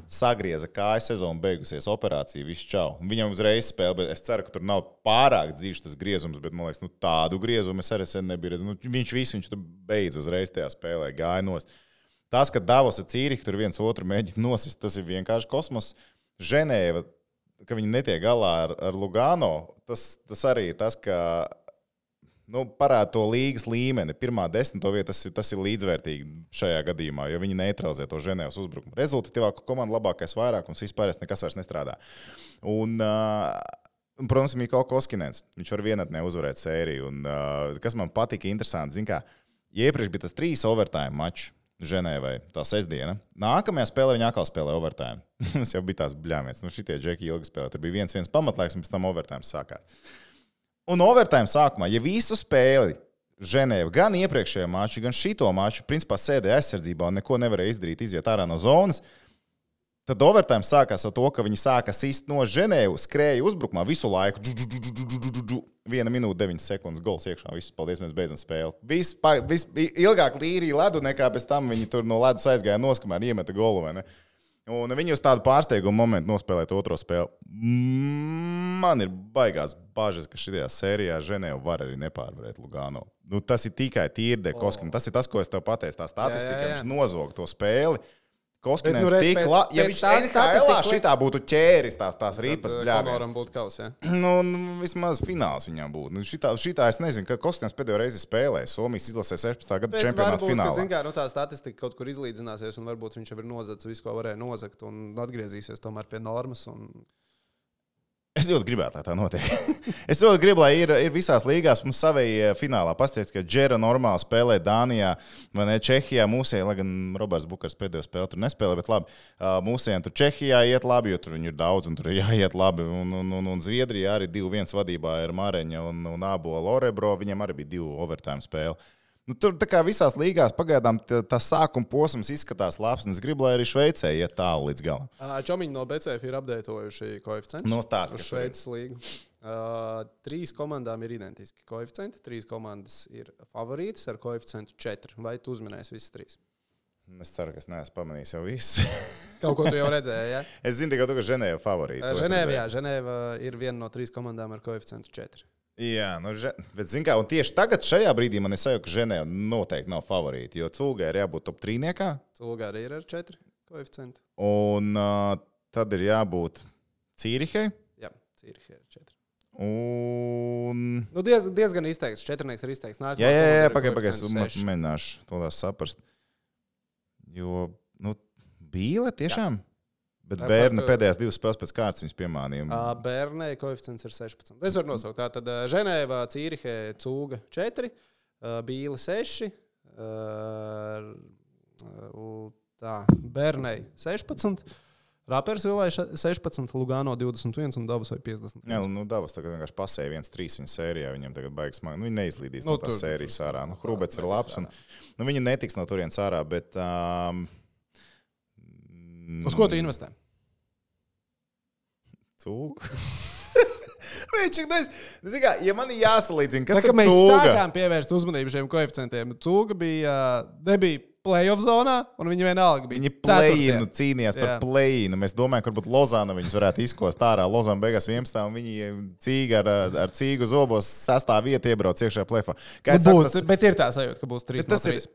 Sagrieza kāju sezonu beigusies, operācija, viss čau. Viņam uzreiz spēle, bet es ceru, ka tur nav pārāk dzīves tas griezums, bet, man liekas, tādu griezumu es arī sen nebiju redzējis. Viņš tur beidz uzreiz tajā spēlē, gāja nost. Tas, ka Davos ar Cīrihi tur viens otru mēģina nosist, tas ir vienkārši kosmos. Ženēva, ka viņi netiek galā ar Lugano, tas arī ir tas, ka parāda to līgas līmeni. Pirmā 10. vieta tas ir līdzvērtīgi šajā gadījumā, jo viņi neutralizē to Ženēvas uzbrukumu. Rezultatīvāka komanda, labākais vairākums, vispārējais nekas vairs nestrādā. Un, protams, Mikko Koskinens. Viņš var vienatnē uzvarēt sēriju. Un, kas man patika interesanti, zin kā, ja iepriekš bija tas 3 overtime mačs Ženēvai, tā sestdiena. Nākamajā spēlē viņi atkal spēlē overtime. Tas jau bija tās bļāmietas. Šitie džeki ilgi spēlē. Tur bija 1-1 pamatlaiks, un pēc tam overtime sākās. Un overtime sākumā, ja visu spēli Ženēva, gan iepriekšējā maču, gan šito maču, principā sēdēja aizsardzībā un neko nevarēja izdarīt, iziet ārā no zonas, tad overtime sākās ar to, ka viņi sāka sist no Ženēvu, skrēja uzbrukumā visu laiku. 1 minūte 9 sekundes, gols iekšā, viss, paldies, mēs beidzam spēli. Viss ilgāk līrīja ledu, nekā pēc tam viņi tur no ledus aizgāja noskamēr, iemeta golu, vai ne? Un viņi uz tādu pārsteigumu momentu nospēlēja otro spēli. Man ir baigās bažas, ka šajā sērijā Ženēva var arī nepārvarēt Lugano. Tas ir tikai tīri Koskinen. Tas ir tas, ko es tev pateicu. Tā statistika, viņš nozog to spēli. Koskinen tik labi. Ja viņš NHL šitā būtu ķēris tās ripas bļāvies. Konoram būtu kaus, ja? Vismaz fināls viņam būtu. Šitā es nezinu, ka Koskinens pēdējo reizi spēlēja. Somijas izlasē 16. gada čempionāta finālā. Bet varbūt, tā statistika kaut kur izlīdzināsies un varbūt viņš jau ir nozadis visu, ko varēja nozagt un atgriezīsies tomēr pie normas. Es ļoti gribētu, lai tā notiek. Es ļoti gribu, lai ir visās līgās mums savai finālā. Pastiet, ka Džera normāli spēlē Dānijā vai ne Čehijā. Mūsējiem, lai gan Roberts Bukars pēdējo spēli tur nespēlē, bet labi. Mūsējiem tur Čehijā iet labi, jo tur viņi ir daudz un tur ir jāiet labi. Un Zviedrijā arī 2-1 vadībā ir Mareņa un Ābola Orebro. Viņiem arī bija 2 overtime spēli. Tur tā kā visās līgās pagaidām tas sākuma posms izskatās labs, un es gribu, lai arī Šveicē iet tālu līdz galam. Čomiņi no BCF ir updatējuši koeficientus. Nostāst, uz Šveices līgu. 3 komandām ir identiski koeficienti. 3 komandas ir favorītas ar koeficientu 4. Vai tu uzminēsi visas 3? Es ceru, ka es neesmu pamanījis jau visu. Kaut ko tu jau redzēji, ja? Es zinu tikai to, ka Ženēva favorīta. Ženēva ir viena no 3 komandām ar koeficientu 4. Jā, bet zin kā, un tieši tagad šajā brīdī man ir sajūta, ka Ženēva noteikti nav favorīti, jo Cūgai ir jābūt top 3-niekā. Cūgai arī ir ar 4 koeficientu. Un tad ir jābūt Cīrihai. Jā, Cīrihai ir 4. Un... diezgan izteikts. 4-nieks ir izteikts. Jā, pagaid, mēģināšu to saprast. Jo, Bīle tiešām... Bet Bērni pēdējās 2 spēles pēc kārtas viņas piemānīja. Bērnei koeficients ir 16. Es varu nosaukt. Tātad Ženēva, Cīrihe, Cūga 4, Bīle 6, Bērnei 16, Rapersvilai 16, Lugano 21 un Davosai 50. Jā, Davos tagad vienkārši pasēja 1-3 viņa sērijā. Viņam tagad baigas smagi. Viņi neizlīdīs no tās sērijas ārā. Hrubets ir labs. Viņi netiks no turienes ārā, bet... Uz ko tu investē? Cūga. Ja man ir jāsalīdzina, kas ir Cūga? Mēs sākām pievērst uzmanību šiem koeficientiem. Cūga nebija play-off zonā, un viņi vienalga bija. Viņi play-inu cīnījās par play-inu. Mēs domājam, ka varbūt Lozāna viņus varētu izkost ārā. Lozāna beigās 11. un viņi Cīga ar Cīgu zobos 6. vietu iebrauc iekšā play-offā. Bet ir tā sajūta, ka būs 3-3.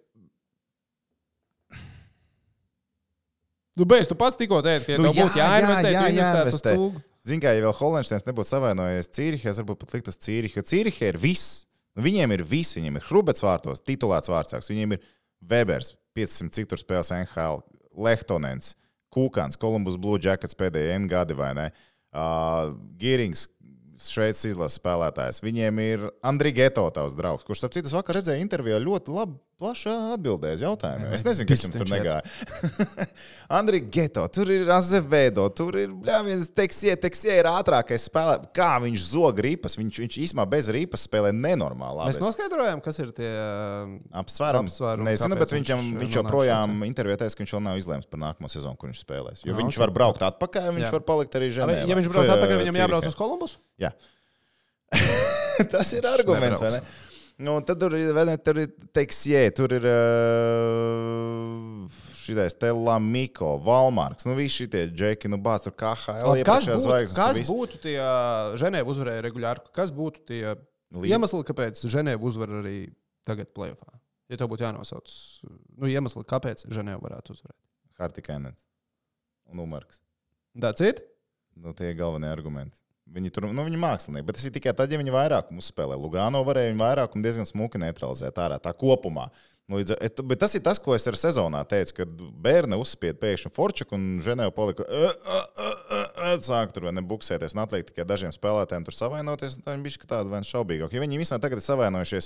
Tu pats tikko teici, ka ja tev būtu jāinvestē, tu investētu uz Cūgu. Zini, kā, ja vēl Holensteins nebūtu savainojies Cīrihē, es varbūt pat likt uz Cīrihi, jo Cīrihē ir viss. Viņiem ir viss. Viņiem ir Hrubets vārtos, titulēts vārdsargs. Viņiem ir Webers, 500 cik tur spēles NHL, Lehtonens, Kūkans, Columbus Blue Jackets pēdējie N gadi, vai ne? Gierings, Šveices izlases spēlētājs. Viņiem ir Andri Geto, tavs draugs, kurš, starp citu, vakar redzēja intervijā ļoti labi, plaši atbildēja uz jautājumiem. Es nezinu, kas jums tur negāja. Andri Geto, tur ir Azevedo, tur ir viens Teksie ir ātrākais spēlētājs. Kā viņš zog ripas? Viņš īsumā bez ripas spēlē nenormāli. Mēs noskaidrojām, kas ir tie apsvērumi. Nezinu, bet viņš joprojām intervijā teica, ka viņš vēl nav izlēms par nākamo sezonu, kur viņš spēlēs. Jo viņš var braukt atpakaļ, un viņš var palikt arī Ženēvā. Ja viņš brauc atpakaļ, viņam jābrauc uz Kolumbusu? Jā. Tas ir arguments, vai ne? Tad tur ir Teksie, tur ir šitais Telamiko, Valmarks, visi šitie džeki, bāz tur KHL iepriekšējās zvaigznes. Kas būtu tie Ženēva uzvarēja regulāri? Kas būtu tie iemesli, kāpēc Ženēva uzvar arī tagad play-offā? Ja tev būtu jānosauc, iemesli, kāpēc Ženēva varētu uzvarēt? Hartikainens un Umarks. That's it? Tie ir galvenie argumenti. Viņi tur, viņi mākslinieki, bet tas ir tikai tad, ja viņi vairākumu uzspēlē. Lugano varēja viņu vairākumu diezgan smuki neutralizēt ārā, tā kopumā. Bet tas ir tas, ko es ar sezonā teicu, kad Bērne uzspied pēkšņi Forčaku un Ženēva palika sāk tur vai nebuksēties un atliek tikai dažiem spēlētājiem tur savainoties, un tā viņi bišķi tāda vai šaubīgāk. Jo viņi visā tagad ir savainojušies,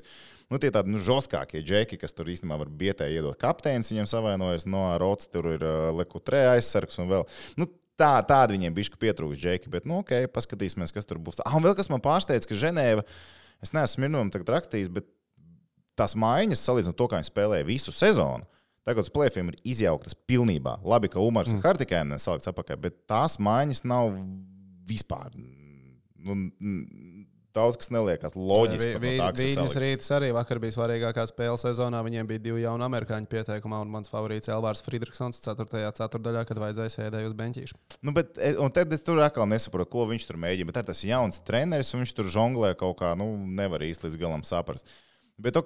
tie tādi žostkākie džeki, kas tur īstenībā var bietē iedot kapteinis, viņiem savainojas, Rots tur ir Lekutrē aizsargs un vēl. Tādi viņiem bišķi pietrūks džeki, bet, ok, paskatīsimies, kas tur būs. Un vēl kas man pārsteidz, ka Ženēva, es neesmu Smirnovam tagad rakstījis, bet tās maiņas, salīdzinot to, kā viņi spēlēja visu sezonu, tagad uz play-offiem ir izjauktas pilnībā. Labi, ka Umars un Hartikēnen salikts apakaļ, bet tās maiņas nav vispār. Daudz, kas neliekas loģiski. Viņas rītas arī vakar bija svarīgākā spēle sezonā. Viņiem bija 2 jauni amerikāņu pieteikumā, un mans favorīts Elvārs Friedrichsons 4. ceturdaļā, kad vajadzēja sēdēju uz beņķīšu. Un tad es tur atkal nesaprotu, ko viņš tur mēģina. Bet tas ir jauns treneris, un viņš tur žonglē kaut kā, nevar īsti līdz galam saprast. Bet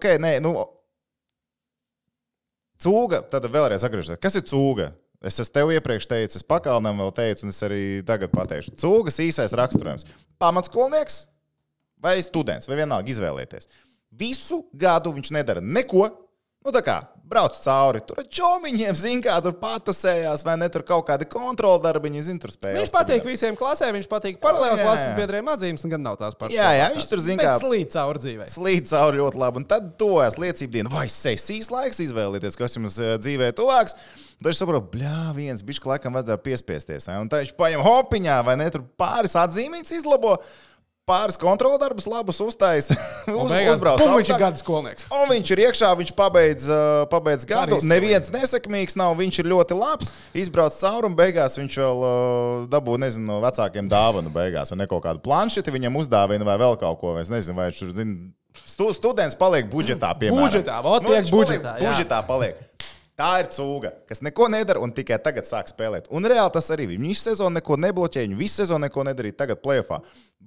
Cūga, tad vēlreiz atgriežos. Kas ir Cūga? Es tev iepriekš teicu, es Pakalnam vēl teicu, un es arī tagad pateikšu. Cūgas īsais raksturojums. Pamatskolnieks vai students, vai vienalga izvēlēties. Visu gadu viņš nedara neko. Tā kā brauc cauri, tur ar čomiņiem, tur patusējās, vai ne, tur kaut kādi kontrola darbiņi, tur spējas. Viņš patīk visiem klasē, viņš patīk paralēli klases biedriem atzīmes, un gan nav tās pašas. Jā, viņš tur slīd cauri dzīvē. Slīd cauri ļoti labi, un tad tojas liecību dienu, vai sesijas laiks izvēlēties, kas jums dzīvē tuvāks. Tad viņš saprot, viens bišķi laikam vajadzēja piespiesties, un tā viņš paņem hopiņā, vai ne, tur pāris atzīmītas izlabo. Pāris kontrola darbus labus uztaisa. Uzbrauc. Viņš ir gadu skolnieks. Un viņš ir iekšā, viņš pabeidz gadu. Neviens nesekmīgs nav, viņš ir ļoti labs. Izbrauc cauri un beigās viņš vēl dabū, no vecākiem dāvanu beigās. Vai ne kaut kādu planšeti viņam uzdāvina vai vēl kaut ko. Es nezinu, vai viņš tur students paliek budžetā, piemēram. Budžetā paliek. Tā ir Cūga, kas neko nedara un tikai tagad sāk spēlēt. Un reāli tas arī bija. Viņš sezonu neko nebloķēja, viņi visu sezonu neko nedarīja. Tagad play-offā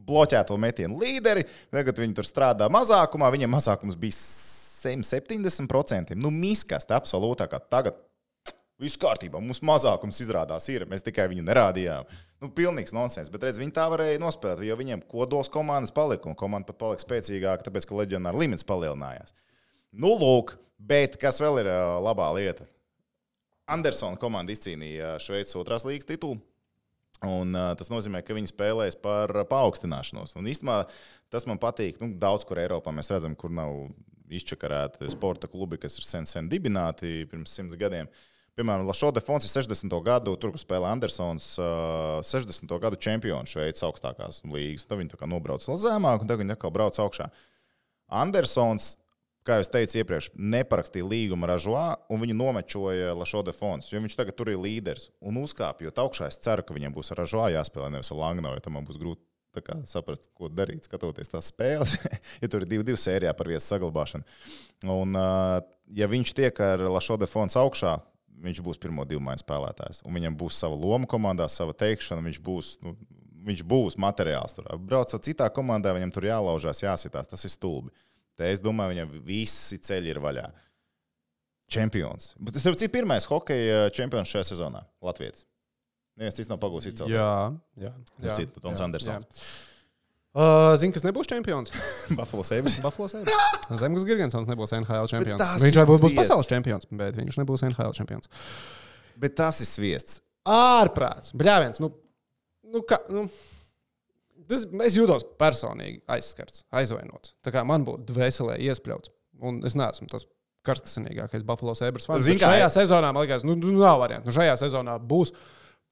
bloķēto metienu līderi, tagad viņi tur strādā mazākumā, viņiem mazākums bija 70%. Miskast absolūtākā. Tagad viss kārtībā, mums mazākums izrādās ir, mēs tikai viņu nerādījām. Pilnīgs nonsens, bet redz, viņi tā varēja nospēlēt, jo viņiem kodols komandas palika, un komanda pat palika spēcīgāka, tāpēc, ka leģionāra limits palielinājās. Lūk. Bet kas vēl ir labā lieta? Andersona komanda izcīnīja Šveices 2. līgas titulu, un tas nozīmē, ka viņi spēlēs par paaugstināšanos. Un īstenībā tas man patīk, daudz kur Eiropā mēs redzam, kur nav izčakarēti sporta klubi, kas ir sen dibināti pirms 100 gadiem. Piemēram, Lašo de Fons ir 60. gadu, tur, kur spēlē Andersons, 60. gadu čempionu Šveices augstākās līgas. Tad viņi tā kā nobrauc vēl zemāk, un tagad viņi atkal brauc augšā. Andersons, kā jau teicu iepriekš, neparakstīja līgumu ar Ražoā, un viņu nomečoja Lašo de Fons, jo viņš tagad tur ir līderis. Un uzkāpjot augšā, es ceru, ka viņam būs ar Ražoā jāspēlē, nevis ar Langnau, jo tam man būs grūti saprast, ko darīt, skatoties tās spēles, ja tur ir 2-2 sērijā par vietas saglabāšanu. Un, ja viņš tiek ar Lašo de Fons augšā, viņš būs pirmo 2 maiņu spēlētājs, un viņam būs sava loma komandā, sava teikšana, viņš būs materiāls tur. Braucot citā komandā, viņam tur jālaužās, jāsitās, tas ir stulbi. Te es domāju, viņam visi ceļi ir vaļā. Čempions. Tas ir pirmais hokeja čempions šajā sezonā. Latvijas. Neviens cits nav pagūs izcelties. Jā. Citu, Toms Andersons. Zini, kas nebūs čempions? Buffalo Sabres. Zemgus Girgensons nebūs NHL čempions. Viņš varbūt būs pasaules čempions, bet viņš nebūs NHL čempions. Bet tas ir sviests. Ārprāts. Bļāviens. Es jūtos personīgi aizskarts, aizvainots. Tā kā man būtu dvēselē iespļauts. Un es neesmu tas karstasinīgākais Buffalo Sabres fans. Šajā sezonā, man liekas, nav variantu. Šajā sezonā būs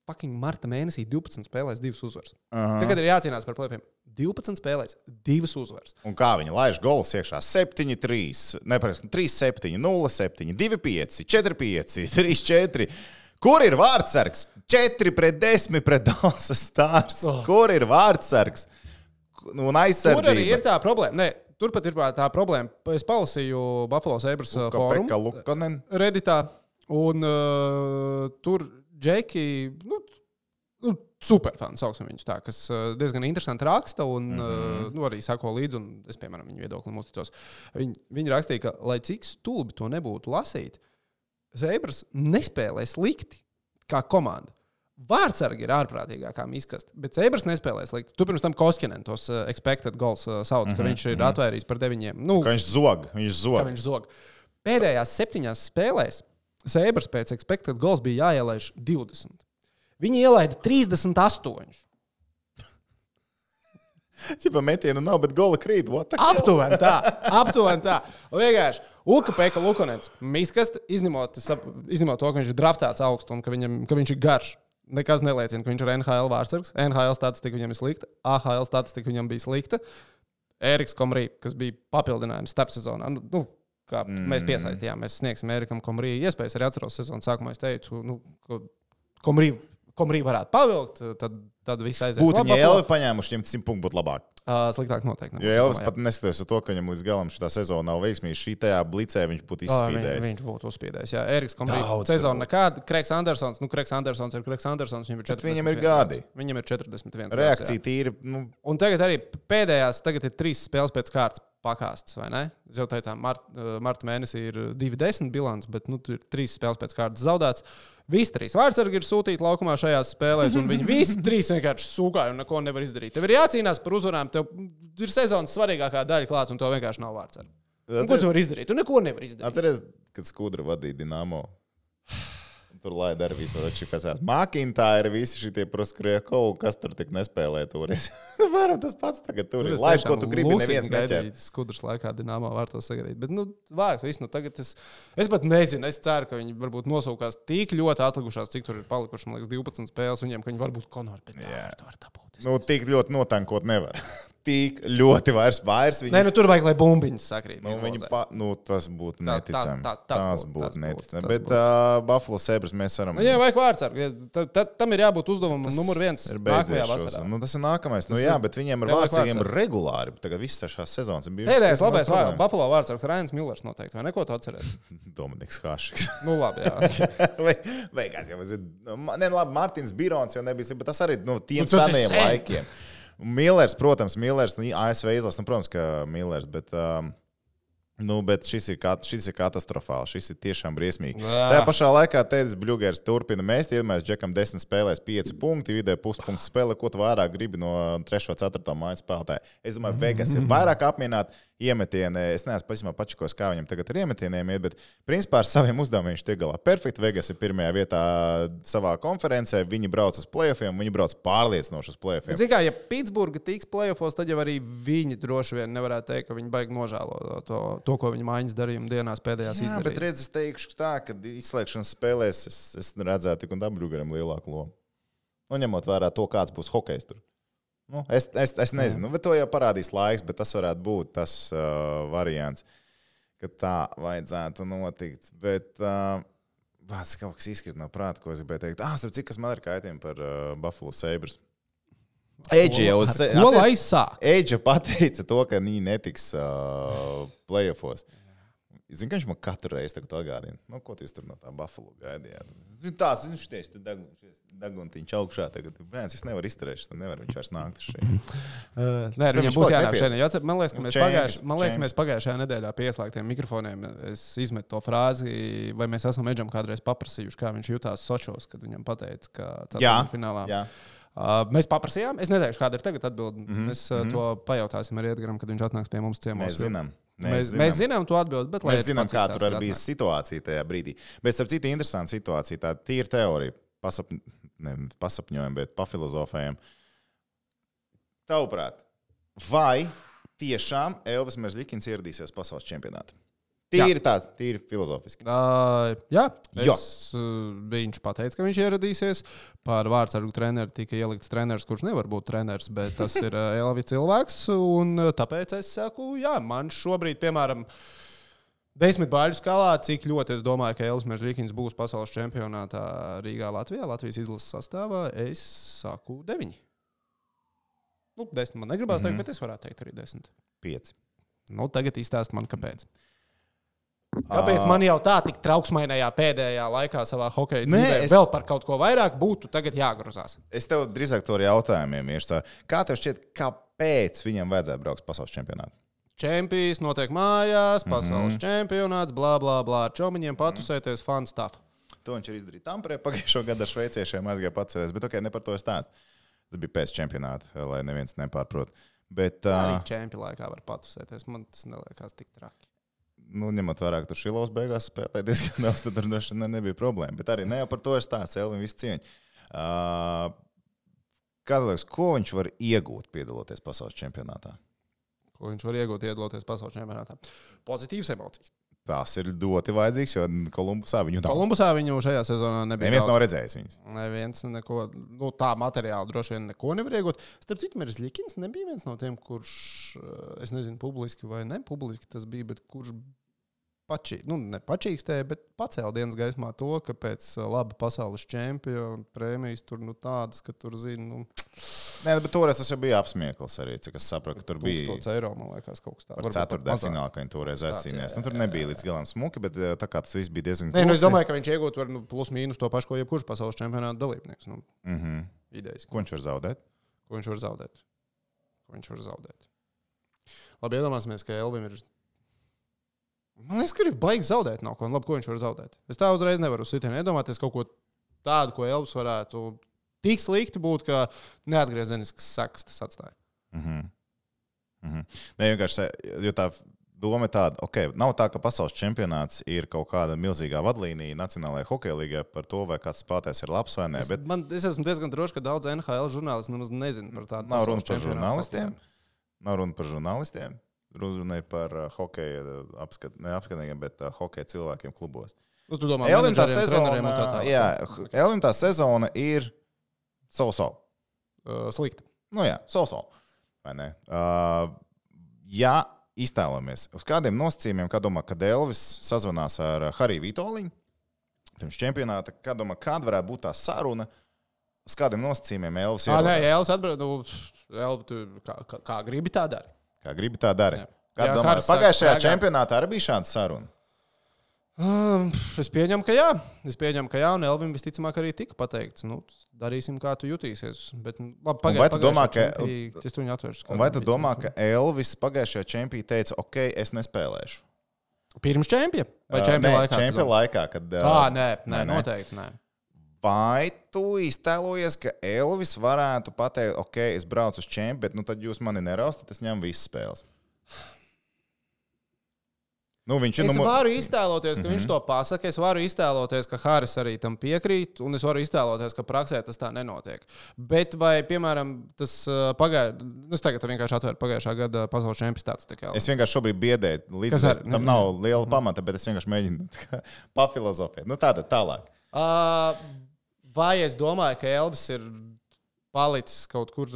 fucking marta mēnesī 12 spēlēs 2 uzvaras. Tagad ir jācīnās par play-offiem. 12 spēlēs 2 uzvaras. Un kā viņi laiž golus iekšā? 7-3, 3-7, 0-7, 2-5, 4-5, 3-4. Kur ir vārdsargs? 4-10 pret Dallas Stars. Kur ir vārdsargs? Un aizsardzība. Tur arī ir tā problēma. Nē, turpat ir tā problēma. Es palasīju Buffalo Sabres fórumu Redditā, un tur Džeki, superfani, sauksim viņus tā, kas diezgan interesanti raksta un arī sako līdzi, un es, piemēram, viņu viedoklim uzticos. Viņi rakstīja, ka, lai cik stulbi to nebūtu lasīt, Sabres nespēlē slikti kā komanda. Vārtsargi ir ārprātīgākā miskasta, bet Seibers nespēlē slikti. Tu pirms tam Koskinen tos expected goals sauc, ka viņš ir atvērījis par 9. Ka viņš zog. Pēdējās 7 spēlēs Seibers pēc expected goals bija jāielaiž 20. Viņi ielaida 38. Čipa metienu nav, bet gola krīt. Aptuveni tā. Vienkārši Uka-Peka Lukonets miskasta, izņemot to, ka viņš ir draftēts augstu un ka viņš ir garš. Nekas neliecina, ka viņš ir NHL vārtsargs. NHL statistika viņam ir slikta, AHL statistika viņam bija slikta. Eriks Komrī, kas bija papildinājums starpsezonā. Mēs piesaistījām, mēs sniegsim Erikam Komrī iespējas. Arī atceros sezonas sākumā es teicu, ka Komrī varētu pavilkt, tad viss aizies. Būtu viņa Elvi paņēmuši, viņam 100 punktu būtu labāk. Sliktāk noteikti. Jo Elvis pat neskatoties to, ka viņam līdz galam šitā sezona nav veiksmīga, šī tajā blicē viņš būtu izspīdējis. Viņš būtu uzspīdējis, jā. Eriks Komrī sezona nekāda. Kreks Andersons ir Kreks Andersons, viņam ir 41. Viņam ir gadi. Viņam ir 41. Reakcija tīri. Un tagad arī tagad ir 3 spēles pēc kārtas pakāstas, vai ne? Es jau teicām, marta mēnesī ir 2-10 bilants, bet tur ir 3 spēles pēc kārtas zaudēts. Visi 3 vārtsargi ir sūtīti laukumā šajās spēlēs, un viņi visi 3 vienkārši sūkāja un neko nevar izdarīt. Tev ir jācīnās par uzvarām, tev ir sezonas svarīgākā daļa klāts, un to vienkārši nav vārtsargi. Ko tu vari izdarīt? Tu neko nevar izdarīt. Atceries, kad Skudra vadīja Dinamo. Tur laida arī visu, kas ir Makintāri, visi šitie Proskriekovu, kas tur tik nespēlē turis. Varam tas pats tagad tur ir. Laid, ko tu gribi, neviens neķer. Skudras laikā Dinamo var to sagaidīt. Bet, vāks, viss, tagad es pat nezinu, es ceru, ka viņi varbūt nosūkās tik ļoti atlikušās, cik tur ir palikuši, man liekas, 12 spēles viņiem, ka viņi varbūt Konori, bet tā var dabūt. Tik ļoti notankot nevar. Tik ļoti vairs viņi... Nē, tur vajag, lai bumbiņas sakrīt. Tas būtu neticami. Tas būtu neticami. Bet Buffalo Sabres mēs varam... Jā, vajag vārtsargi. Tam ir jābūt uzdevumam numur 1 nākamajā vasarā. Tas ir nākamais. Jā, bet viņiem ir vārtsargiem regulāri. Tagad visas šās sezonas ir bijušas. Pēdējais labais Buffalo vārtsargs Rainis Millers noteikti. Vai neko tu atceries? Dominiks Hašiks. Labi, jā. Beigās jau labi, Martins Birons jau nebija, bet tas arī tiem senajiem laikiem. Millers, protams, ASV izlases, protams, ka Millers, bet šis ir katastrofāli. Šis ir tiešām briesmīgi. Tajā pašā laikā Tēdis Bļugers turpina mēst. Iedomājies, Džekam 10 spēlēs 5 punkti, vidē puspunktu spēlē. Ko tu vairāk gribi no 3. 4. mājas spēlētāja? Es domāju, Vegas ir vairāk apmienāti iemetieni. Es neesmu pasimā pačikos, kā viņam tagad ar iemetieniem iet, bet principā ar saviem uzdevumiem viņš tiek galā. Perfekti. Vegas ir pirmajā vietā savā konferencē. Viņi brauc uz play-offiem, viņi brauc pārliecinoši uz play-offiem. Zini kā, ja Pitsburga tiks play-offos, tad jau arī viņi droši vien nevarētu teikt, ka viņi baigi nožēlo to, ko viņa mājas darījuma dienās pēdējās izdarīja. Bet redz, es teikšu tā, ka izslēgšanas spēlēs es redzētu tik un tā Bļugeram lielāku lomu. Ņemot vērā to, kāds būs hokejs tur. Es nezinu, bet to jau parādīs laiks, bet tas varētu būt tas variants, ka tā vajadzētu notikt. Bet vārds kaut kas izskrit no prāta, ko es gribēju teikt. Starp cik, kas man ir kaitījumi par Buffalo Sabres. Eidža pateica to, ka viņi netiks play-offos. Zinu, ka viņš man katru reizi tagad atgādina. Ko tu tur no tā Buffalo gaidījāt? Tās, šities, daguntiņš augšā tagad. Es nevaru izturēt, tad nevar viņš vairs nākt uz šeit. Nē, viņam būs jānāk šeit. Man liekas, ka mēs pagājušajā nedēļā pie ieslēgtiem mikrofoniem es izmetu to frāzi, vai mēs esam Edžam kādreiz paprasījuši, kā viņš jutās Sočos, kad viņam pateica, ka ceturtajā finālā. Jā. Mēs paprasījām. Es neteikšu, kāda ir tagad atbildi. Mēs to pajautāsim arī Edgaram, kad viņš atnāks pie mums ciemos. Mēs zinām to atbildi, bet mēs zinām, kā tur arī bija situācija tajā brīdī. Bet, starp citu, interesanta situācija. Tā ir teorija. Pasapņojam, bet pafilozofējam. Tavuprāt, vai tiešām Elvis Merzlikins ieradīsies pasaules čempionātā? Tīri filozofiski. Jā, viņš pateica, ka viņš ieradīsies. Par vārtsargu treneru tika ielikts treneris, kurš nevar būt treneris, bet tas ir Elvi cilvēks. Un tāpēc es saku, jā, man šobrīd, piemēram, 10 baļu skalā, cik ļoti es domāju, ka Elvis Merzlikins būs pasaules čempionātā Rīgā, Latvijā, Latvijas izlases sastāvā, es saku 9. 10 man negribās teikt, bet es varētu teikt arī 10. 5. Tagad izstāst man, kāpēc. Kāpēc man jau tā tik trauksmainajā pēdējā laikā savā hokeja dzīvē vēl par kaut ko vairāk būtu tagad jāgrozās? Es tev drīzāk to ar jautājumiem iešu. Kā tev šķiet, kāpēc viņam vajadzētu braukt pasaules čempionātu? Čempions notiek mājās, pasaules čempionāts, blā, blā, blā. Ar čomiņiem patusēties, fun stuff. To viņš ir izdarījis Tamperē pagājušo gadu ar šveiciešiem, aizgāja pacēlies, bet ne par to stāst. Tas bija pēc čempionāta, lai neviens nepārprot. Bet, arī čempionu laikā var patusēties, man tas neliekās tik traki. Ņemot vērā, ka tur Šilovs beigās spēlēja diezgan daudz, tad tur nebija problēma. Bet arī ne jau par to ir stāsts, Elvim visu cieņu. Kādā liekas, ko viņš var iegūt piedaloties pasaules čempionātā? Ko viņš var iegūt piedaloties pasaules čempionātā? Pozitīvas emocijas. Tas ir ļoti vajadzīgs, jo Kolumbusā viņu šajā sezonā nebija. Neviens nav redzējis viņus. Neviens neko, tā materiāla droši vien neko nevar iegūt. Starp citu, Miris Ļikins nebija viens no tiem, kurš, es nezinu, publiski vai nepubliski tas bija, bet kurš nepačīkstēja, bet pacēla dienas gaismā to, ka pēc laba pasaules čempiona prēmijas tur tādas, ka tur zina. Nē, bet toreiz tas jau bija apsmiekls arī, cik es sapratu, ka tur bija €1000, man liekas, kaut kas tāds. Par ceturtdaļu finālu, ka viņi toreiz aizcīnījās. Tur nebija līdz galam smuki, bet tā kā tas viss bija diezgan klusi. Es domāju, ka viņš iegūt var plus mīnus to pašu, ko jebkurš pasaules čempionāta dalībnieks. Idejas. Ko viņš var zaudēt? Ko viņš var zaudēt? Labi, iedomāsimies, ka Elvim ir. Man liekas, ka ir baigi zaudēt nav ko. Labi, ko viņš var zaudēt? Es tā uzreiz nevaru uz sitienu iedomāties kaut ko tādu, ko Elvis varētu tik slikti būt, ka neatgriezenisks sekas tas atstāja. Ne, vienkārši, jo tā doma ir tāda, nav tā, ka pasaules čempionāts ir kaut kāda milzīgā vadlīnija Nacionālajā hokeja līgā par to, vai kāds spēlētājs ir labs vai nē. Es esmu diezgan drošs, ka daudz NHL žurnālisti nemaz nezina par tādu. Nav runa par žurnālistiem. Runa ir par hokeja neapskatniekiem, bet hokeja cilvēkiem klubos. Tu domā, Elvim tā sezona ir so-so. Slikta. So-so. Vai ne? Ja iztēlamies uz kādiem nosacījumiem, kā domā, kad Elvis sazvanās ar Hariju Vitoļiņu, pirms čempionāta, kā domā, kāda varētu būt tā saruna, uz kādiem nosacījumiem Elvis ir? Elvis atbild, kā gribi tā dara. Kā gribi tā dara. Pagājušajā čempionātā arī bija šāda saruna? Es pieņemu, ka jā, un Elvim visticamāk arī tika pateikts. Darīsim, kā tu jutīsies. Bet, labi, vai tu domā, ka Elvis pagājušajā čempionā teica, es nespēlēšu? Pirms čempiona? Vai čempiona laikā? Čempiona laikā, kad... Nē, noteikti nē. Vai tu iztēlojies, ka Elvis varētu pateikt, es braucu uz čempionu, bet tad jūs mani neraustat, es ņemu visas spēles? Es varu iztēloties, ka viņš to pasaka, es varu iztēloties, ka Haris arī tam piekrīt, un es varu iztēloties, ka praksē tas tā nenotiek. Bet vai, piemēram, tas es tagad vienkārši atvēru pagājušā gada pasaules čempionāts. Es vienkārši šobrīd biedēju, līdz tam nav liela pamata, bet es vienkārši mēģinu pafilozofēt. Tātad tālāk. Vai es domāju, ka Elvis ir palicis kaut kur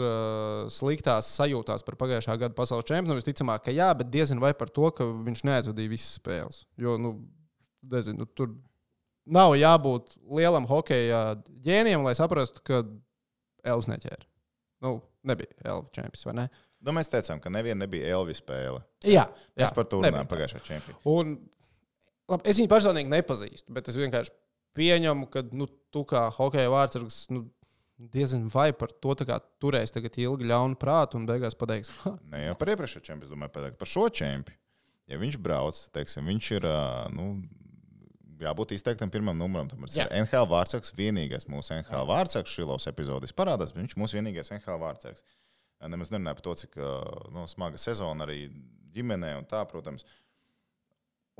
sliktās sajūtās par pagājušā gada pasaules čempionu? Visticamāk, ka jā, bet diezin vai par to, ka viņš neaizvadīja visas spēles. Jo, tur nav jābūt lielam hokeja ģēnijam, lai saprastu, ka Elvis neķēra. Nebija Elvis čempions, vai ne? Mēs teicām, ka neviena nebija Elvis spēle. Jā. Es par to runāju pagājušā čempionu. Un, labi, es viņu personīgi nepazīstu, bet es vienkārši pieņemu, ka tu kā hokeja vārdsargs diezin vai par to turēs tagad ilgi ļaunu prātu un beigās pateiks. Ne jau par iepriekšējo čempionu, es domāju, pateikt par šo čempionu. Ja viņš brauc, viņš ir, jābūt izteiktam pirmam numuram. Tas ir NHL vārdsargs, vienīgais mūsu NHL vārdsargs. Šilovs epizodis parādās, bet viņš mūsu vienīgais NHL vārdsargs. Nemaz nerunāju par to, cik smaga sezona arī ģimenē un tā, protams.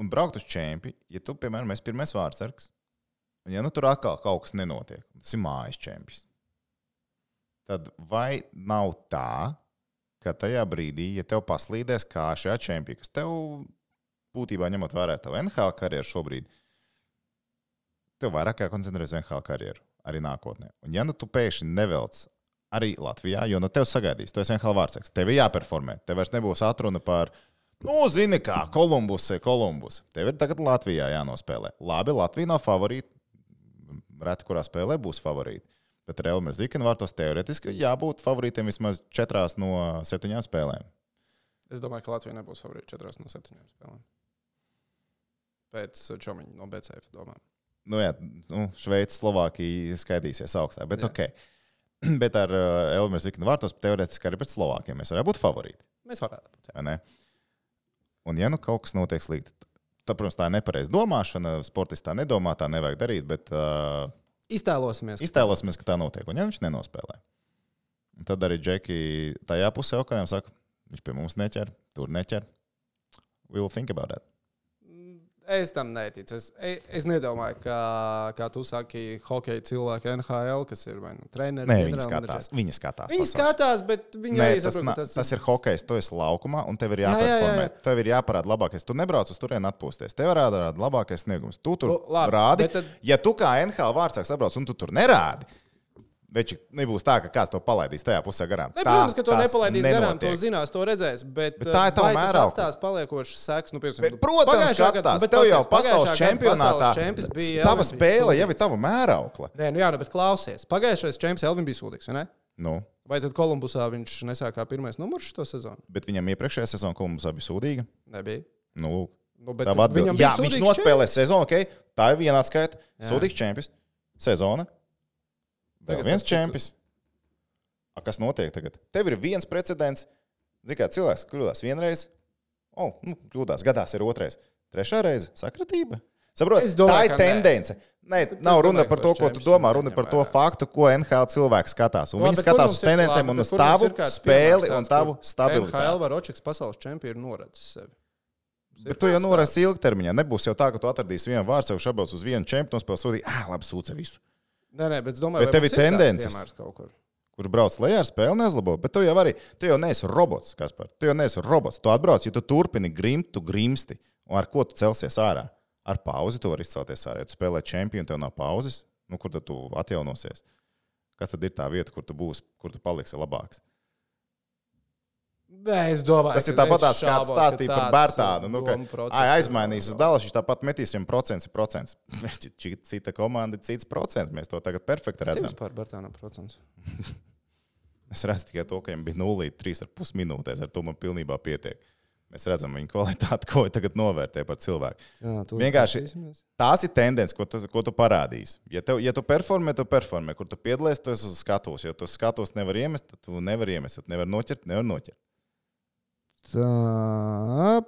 Un braukt uz čempionu, ja tu, piemēram, esi pirmais vārdsargs, un ja tur atkal kaut kas nenotiek, tas ir mājas čempions. Tad vai nav tā, ka tajā brīdī, ja tev paslīdēs kā šajā čempionā, kas tev būtībā ņemot vērā tavu NHL karjeru šobrīd, tev vairāk jākoncentrēs NHL karjeru arī nākotnē. Un ja tu pēkšņi nevelc arī Latvijā, jo tev sagaidīs, tu esi NHL vārdsargs, tev ir jāperformē, tev vairs nebūs atruna par, zini kā, Kolumbus. Tev ir tagad Latvijā jānospēlē. Labi, Latvija nav favorīta, reti kurā spēlē būs favorīti. Bet ar Elmēru Zikinu vārtos teoretiski jābūt favorītiem vismaz 4 no 7 spēlēm. Es domāju, ka Latvija nebūs favorīta 4 no 7 spēlēm. Pēc Čomiņa no BCF, domāju. Šveice, Slovākija skaidīsies augstāk. Bet, bet ar Elmēru Zikinu vārtos teoretiski arī pret Slovākiem mēs varētu būt favorīti. Mēs varētu būt. Un ja kaut kas notiek slikti, protams, tā ir nepareiza domāšana. Sportists tā nedomā, tā nevajag darīt, bet iztēlosimies, ka tā notiek. Un ja viņš nenospēlē, tad arī Džeki tajā pusē okājām saka, viņš pie mums neķer, tur neķer. We will think about that. Es tam neticu. Es nedomāju, kā tu saki, hokeja cilvēki NHL, kas ir vai nu treneri. Nē, viņi skatās. Viņi skatās, bet viņi arī saprot, ka tas ir hokejs, tu esi laukumā, un tev ir jāperformē. Tev ir jāparāda labākais. Tu nebrauc uz turieni atpūsties. Tev ir jārāda labākais sniegums. Tu tur rādi. Tad... Ja tu kā NHL vārdsāks atbrauc, un tu tur nerādi, Veči nebūs tā, ka kāds to palaidīs tajā pusē garām. Protams, ka to nepalaidīs garām, to zinās, to redzēs. Bet tā ir tava mēraukla. Tas atstās paliekošas sekas. Nu, protams, ka atstās. Bet tev jau pasaules čempionātā tava spēle jau ir tava mēraukla. Nē, nu jā, bet klausies. Pagājušais čempions Elvin bija sūdīgs, vai ne? Nu. Vai tad Kolumbusā viņš nesākā pirmais numurs šo sezonu? Bet viņam iepriekšējā sezona Kolumbusā bija sūdīga? Nebija. Nu, tā atbild. Jā, viņš nospēlē sezonu, ok? Tā ir viena atskaita. Sūdīgs čempions. Sezona. Vēl viens čempions. Kas notiek tagad? Tev ir viens precedents. Zini, kā cilvēks kļūdās vienreiz. Kļūdās, gadās ir otrais. Trešā reize - sakratība. Saprot, tā ir tendence. Nē, nav runa par to, ko tu domā. Runa par to faktu, ko NHL cilvēks skatās. Un viņi skatās uz tendencēm un uz tavu spēli un tavu stabilitāti. NHL var Očeks pasaules čempionu noredzis sevi. Bet tu jau norēsi ilgtermiņā. Nebūs jau tā, ka tu atradīsi vienu vārdu, jau šabrauc uz vienu čempionu, spēlē sūdīgi, labi, sūce visu. Nē, bet es domāju, ka tev ir tendences, kurš brauc lejā ar spēli neuzlabo. Bet tu jau neesi robots, Kaspar. Tu jau neesi robots. Tu atbrauc, ja tu turpini grimt, tu grimsti. Un ar ko tu celsies ārā? Ar pauzi tu vari izcelties ārā. Ja tu spēlē čempionu, tev nav pauzes, kur tad tu atjaunosies? Kas tad ir tā vieta, kur tu būsi, kur tu paliksi labāks? Nē, es domāju, tas ir tāpat kāds stāstīja par Bērtānu. Aizmainīs uz Dallas, viņš tāpat metīs 100%. Cita komanda, cits procents. Mēs to tagad perfekti redzam. Cik vispār Bērtānam procents? Es redzu tikai to, ka viņam bija 0,3,5 minūtēs. Ar to man pilnībā pietiek. Mēs redzam viņa kvalitāti, ko tagad novērtē par cilvēku. Vienkārši tās ir tendences, ko tu parādīsi. Ja tu performē, kur tu piedalies, tu esi uz skatos. Ja tu skatos nevar iemest, tad tu nevar iemest. Nevar noķert. Tā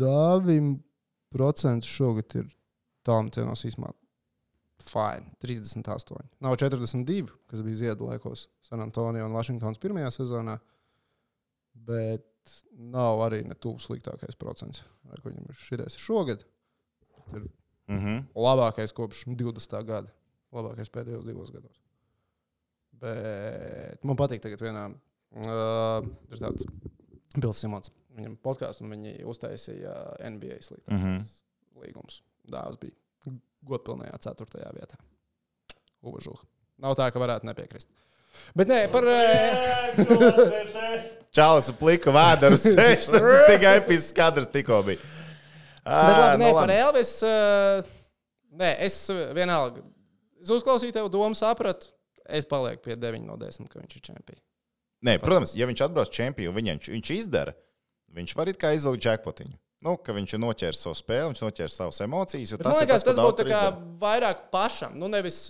9% šogad ir tālmetienos īsmā fine, 38. Nav 42, kas bija Ziedu laikos San Antonio un Vašingtons pirmajā sezonā, bet nav arī ne tuvu sliktākais procents, ar ko viņam ir šitais šogad. Ir labākais kopš 20. gada, labākais pēdējos 2 gados. Bet man patīk tagad vienā. Ir tāds Bills Simons. Viņam podkāsts, un viņi uztaisīja NBA sliktākais līgums. Dāvs bija godpilnajā 4. vietā. Uvažuha. Nav tā, ka varētu nepiekrist. Bet nē, par... Čalis pliku vēderu sēž, tas tikai episks kadrs tikko bija. Bet labi, par Elvis... Nē, es vienalga. Es uzklausīju tev domu, sapratu. Es palieku pie 9 no 10, ka viņš ir čempions. Nē, protams, ja viņš atbrauc čempionu, viņš izdara, viņš var it kā izlūgt jackpotiņu. Ka viņš noķers savu spēli, viņš noķers savas emocijas. Man liekas, tas būtu vairāk pašam. Nevis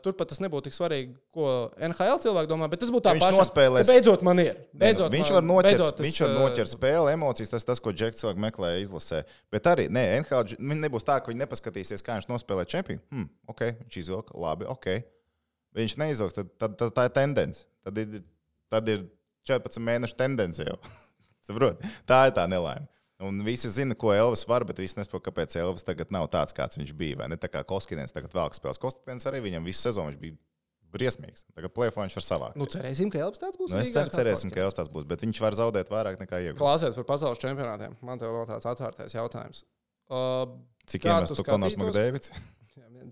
turpat tas nebūtu tik svarīgi, ko NHL cilvēki domā, bet tas būtu tā pašam. Nospēlēs... Beidzot man ir. Viņš var noķert spēli, emocijas, tas, ko Džeks cilvēki meklē izlasē. Bet arī, NHL nebūs tā, ka viņi nepaskatīsies, kā viņš nospēlē čempionu. Ok, viņš izvilka, labi, ok. Viņš neizvilks, tad tā ir tendence. Tad ir 14 mēnešu tendence jau. Tā ir tā nelaime. Un visi zina, ko Elvis var, bet visi nesaprot, kāpēc Elvis tagad nav tāds, kāds viņš bija. Vai ne? Tā kā Koskinens tagad vēl spēlēs. Koskinens arī viņam visu sezonu viņš bija briesmīgs. Tagad play-offā viņš var savākt. Cerēsim, ka Elvis tāds būs. Cerēsim, ka Elvis tāds būs, bet viņš var zaudēt vairāk nekā iegūt. Klausies par pasaules čempionātiem. Man tev vēl tāds atvērtais jautājums. Cik iemestu Konors Makdēvids?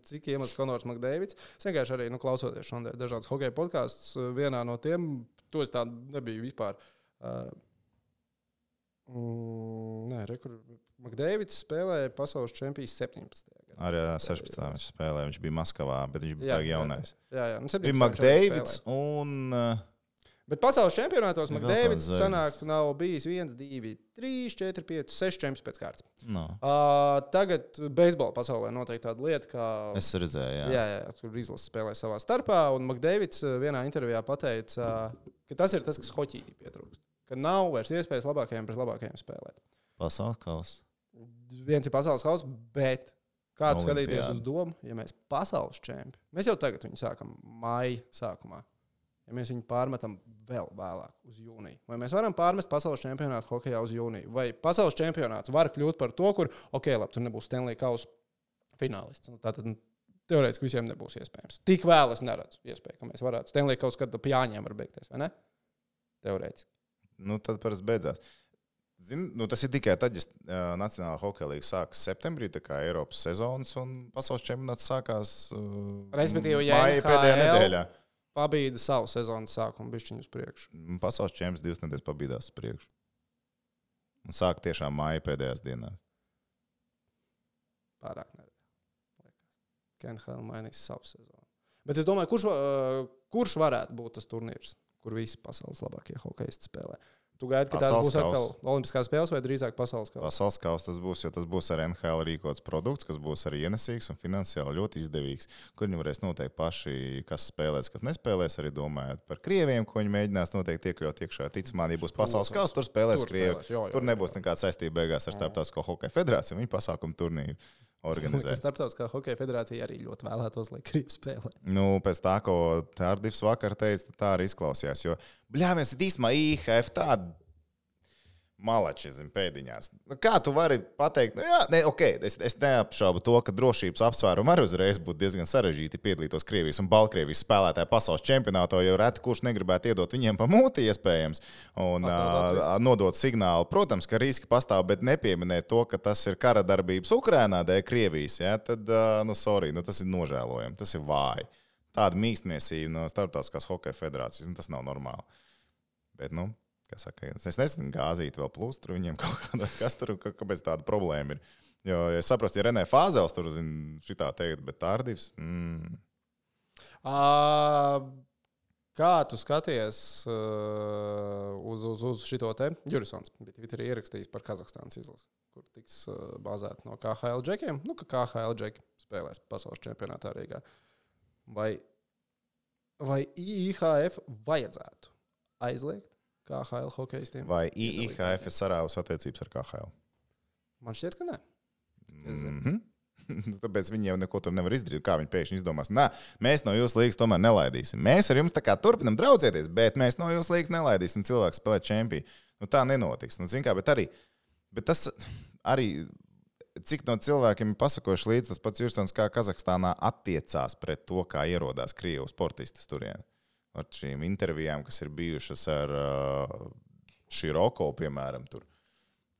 Cik iemesls Konors Makdēvids? Es vienkārši arī klausoties šodien dažādas hokeja podkāstus. Vienā no tiem, to es tā nebiju vispār. Makdēvids spēlēja pasaules čempions 17. gadā. Arī 16. viņš spēlēja. Viņš bija Maskavā, bet viņš bija jaunais. Jā. Bija Makdēvids un... Bet pasaules čempionātos Makdēvids sanāk nav bijis 1, 2, 3, 4, 5, 6 čempions pēc kārtas. No. Tagad beisbola pasaulē notiek tāda lieta, kā... Es redzēju, jā. Tur izlases spēlē savā starpā, un Makdēvids vienā intervijā pateica, ka tas ir tas, kas hoķītī pietrūkst. Ka nav vairs iespējas labākajiem pret labākajiem spēlēt. Pasaules kausa. viens ir pasaules kausa, bet kāds skatīties uz domu, ja mēs pasaules čempi, mēs jau tagad viņu sākam maija sākumā. Ja mēs viņu pārmetam vēl vēlāk uz jūniju. Vai mēs varam pārmest pasaules čempionātu hokejā uz jūniju? Vai pasaules čempionāts var kļūt par to, kur, labi, tur nebūs Stanley kausa finālists. Tātad teorētiski visiem nebūs iespējams. Tik vēl es neredzu iespēju, ka mēs varētu. Stanley kausa, kad Jāņiem var beigties, vai ne? Teorētiski. Tad parasti beidzās. Tas ir tikai tad, ja Nacionālā hokeja līga sākas septembrī, tā kā Eiropas sezonas, un pasaules čempionāts sākās respektīvi, ja maija pēdējā nedēļā. Pabīda savu sezonas sākumu bišķiņu uz priekšu. Pasaules čempions 2 nedēļas pabīdās uz priekšu. Un sāk tiešām maija pēdējās dienās. Pārāk neredz. KNHL mainīs savu sezonu. Bet es domāju, kurš varētu būt tas turnīrs, kur visi pasaules labākie hokejisti spēlē? Tu gaidi, ka tās būs atkal olimpiskās spēles vai drīzāk pasaules kausa? Pasaules kausa tas būs, jo tas būs ar NHL rīkots produkts, kas būs arī ienesīgs un finansiāli ļoti izdevīgs. Kur viņi varēs noteikt paši, kas spēlēs, kas nespēlēs, arī domājot par krieviem, ko viņi mēģinās noteikti iekļaut iekšā. Ticamā, ja būs pasaules kausa, tur spēlēs krievi. Tur nebūs nekāda saistība beigās ar Starptautisko hokeja federāciju. Viņi pasākumu turnīru organizē. Starptautiskā hokeja federācija arī ļoti vēlētos, lai krievi spēlē. Pēc tā, ko Tārdivs vakar teica, tā arī izklausījās. Jo, mēs ir īstenībā IHF tāda malači, pēdiņās. Kā tu vari pateikt? Es neapšaubu to, ka drošības apsvērumi arī uzreiz būtu diezgan sarežģīti piedalītos Krievijas un Baltkrievijas spēlētāju pasaules čempionātā, jo reti kurš negribētu iedot viņiem pa mūti iespējams un nodot signālu. Protams, ka riski pastāv, bet nepieminēt to, ka tas ir kara darbības Ukrainā dēļ Krievijas, tad, tas ir nožēlojami, tas ir vāji. Tāda mīkstniecība no Starptautiskās hokeja federācijas, tas nav normāli. Bet, kas saka, es nezinu, gāzīt vēl plus, tur viņiem kaut kāda, kas tur, kāpēc tāda problēma ir. Jo, ja saprastu, ja Renē Fāzels tur šitā teikt, bet Tārdivs. Kā tu skaties uz šito te? Jurisons bija Twitterī ierakstījis par Kazahstānas izlasi, kur tiks bāzēta no KHL džekiem. Ka KHL džeki spēlēs pasaules čempionātā Rīgā. Vai IHF vajadzētu aizliegt KHL hokejistiem? Vai IHF ir sarāvus attiecības ar KHL? Man šķiet, ka nē. Tāpēc viņi jau neko tur nevar izdarīt. Kā viņi pēkšņi izdomās? Mēs no jūsu līgas tomēr nelaidīsim. Mēs ar jums tā kā turpinam draudzēties, bet mēs no jūsu līgas nelaidīsim cilvēku spēlēt čempiju. Tā nenotiks. Bet tas arī, cik no cilvēkiem ir pasakojuši līdz, tas pats Jursons, kā Kazahstānā attiecās pret to, kā ierodās Krievu sportistus turien. Ar šīm intervijām, kas ir bijušas ar Široko, piemēram, tur,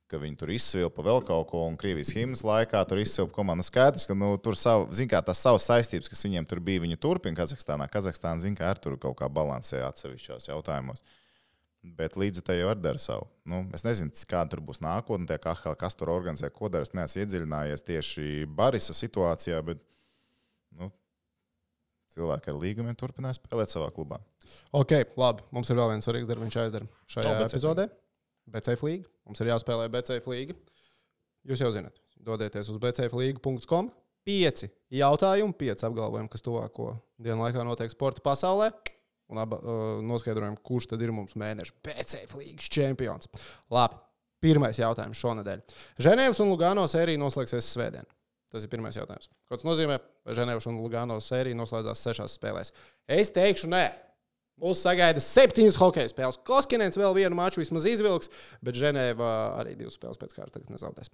ka viņi tur izsvilpa vēl kaut ko, un Krievijas himnas laikā tur izsvilpa komandu. Skaidrs, ka tur tās savas saistības, kas viņiem tur bija, viņi turpina Kazahstānā. Kazahstāna, ar tur kaut kā balansē atsevišķos jautājumos. Bet līdzi te jau var dara savu. Es nezinu, kāda tur būs nākotnē, kas tur organizē, ko dara. Es neesmu iedziļinājies tieši Barisa situācijā, bet, cilvēki ar līgumiem turpinās spēlēt savā klubā. Ok, labi. Mums ir vēl viens svarīgs darbiņš jāizdara šajā epizodē. BCF līga. Mums ir jāspēlē BCF līga. Jūs jau zināt, dodieties uz bcfliga.com. 5 jautājumi, 5 apgalvojumi, kas tuvāko dienu laikā notiek sporta pasaulē. Un noskaidrojam, kurš tad ir mums mēneša BCF līgas čempions. Labi, pirmais jautājums šonedēļ. Ženēvas un Lugano sērija noslēgsies svētdien. Tas ir pirmais jautājums. Ko tas nozīmē? Ženēvas un Lugano sērija noslēdzās 6 spēlēs. Es teikšu, nē. Mūs sagaida 7 hokeja spēles. Koskinens vēl vienu maču vismaz izvilks, bet Ženēva arī 2 spēles pēc kārtas tagad nezaudēs.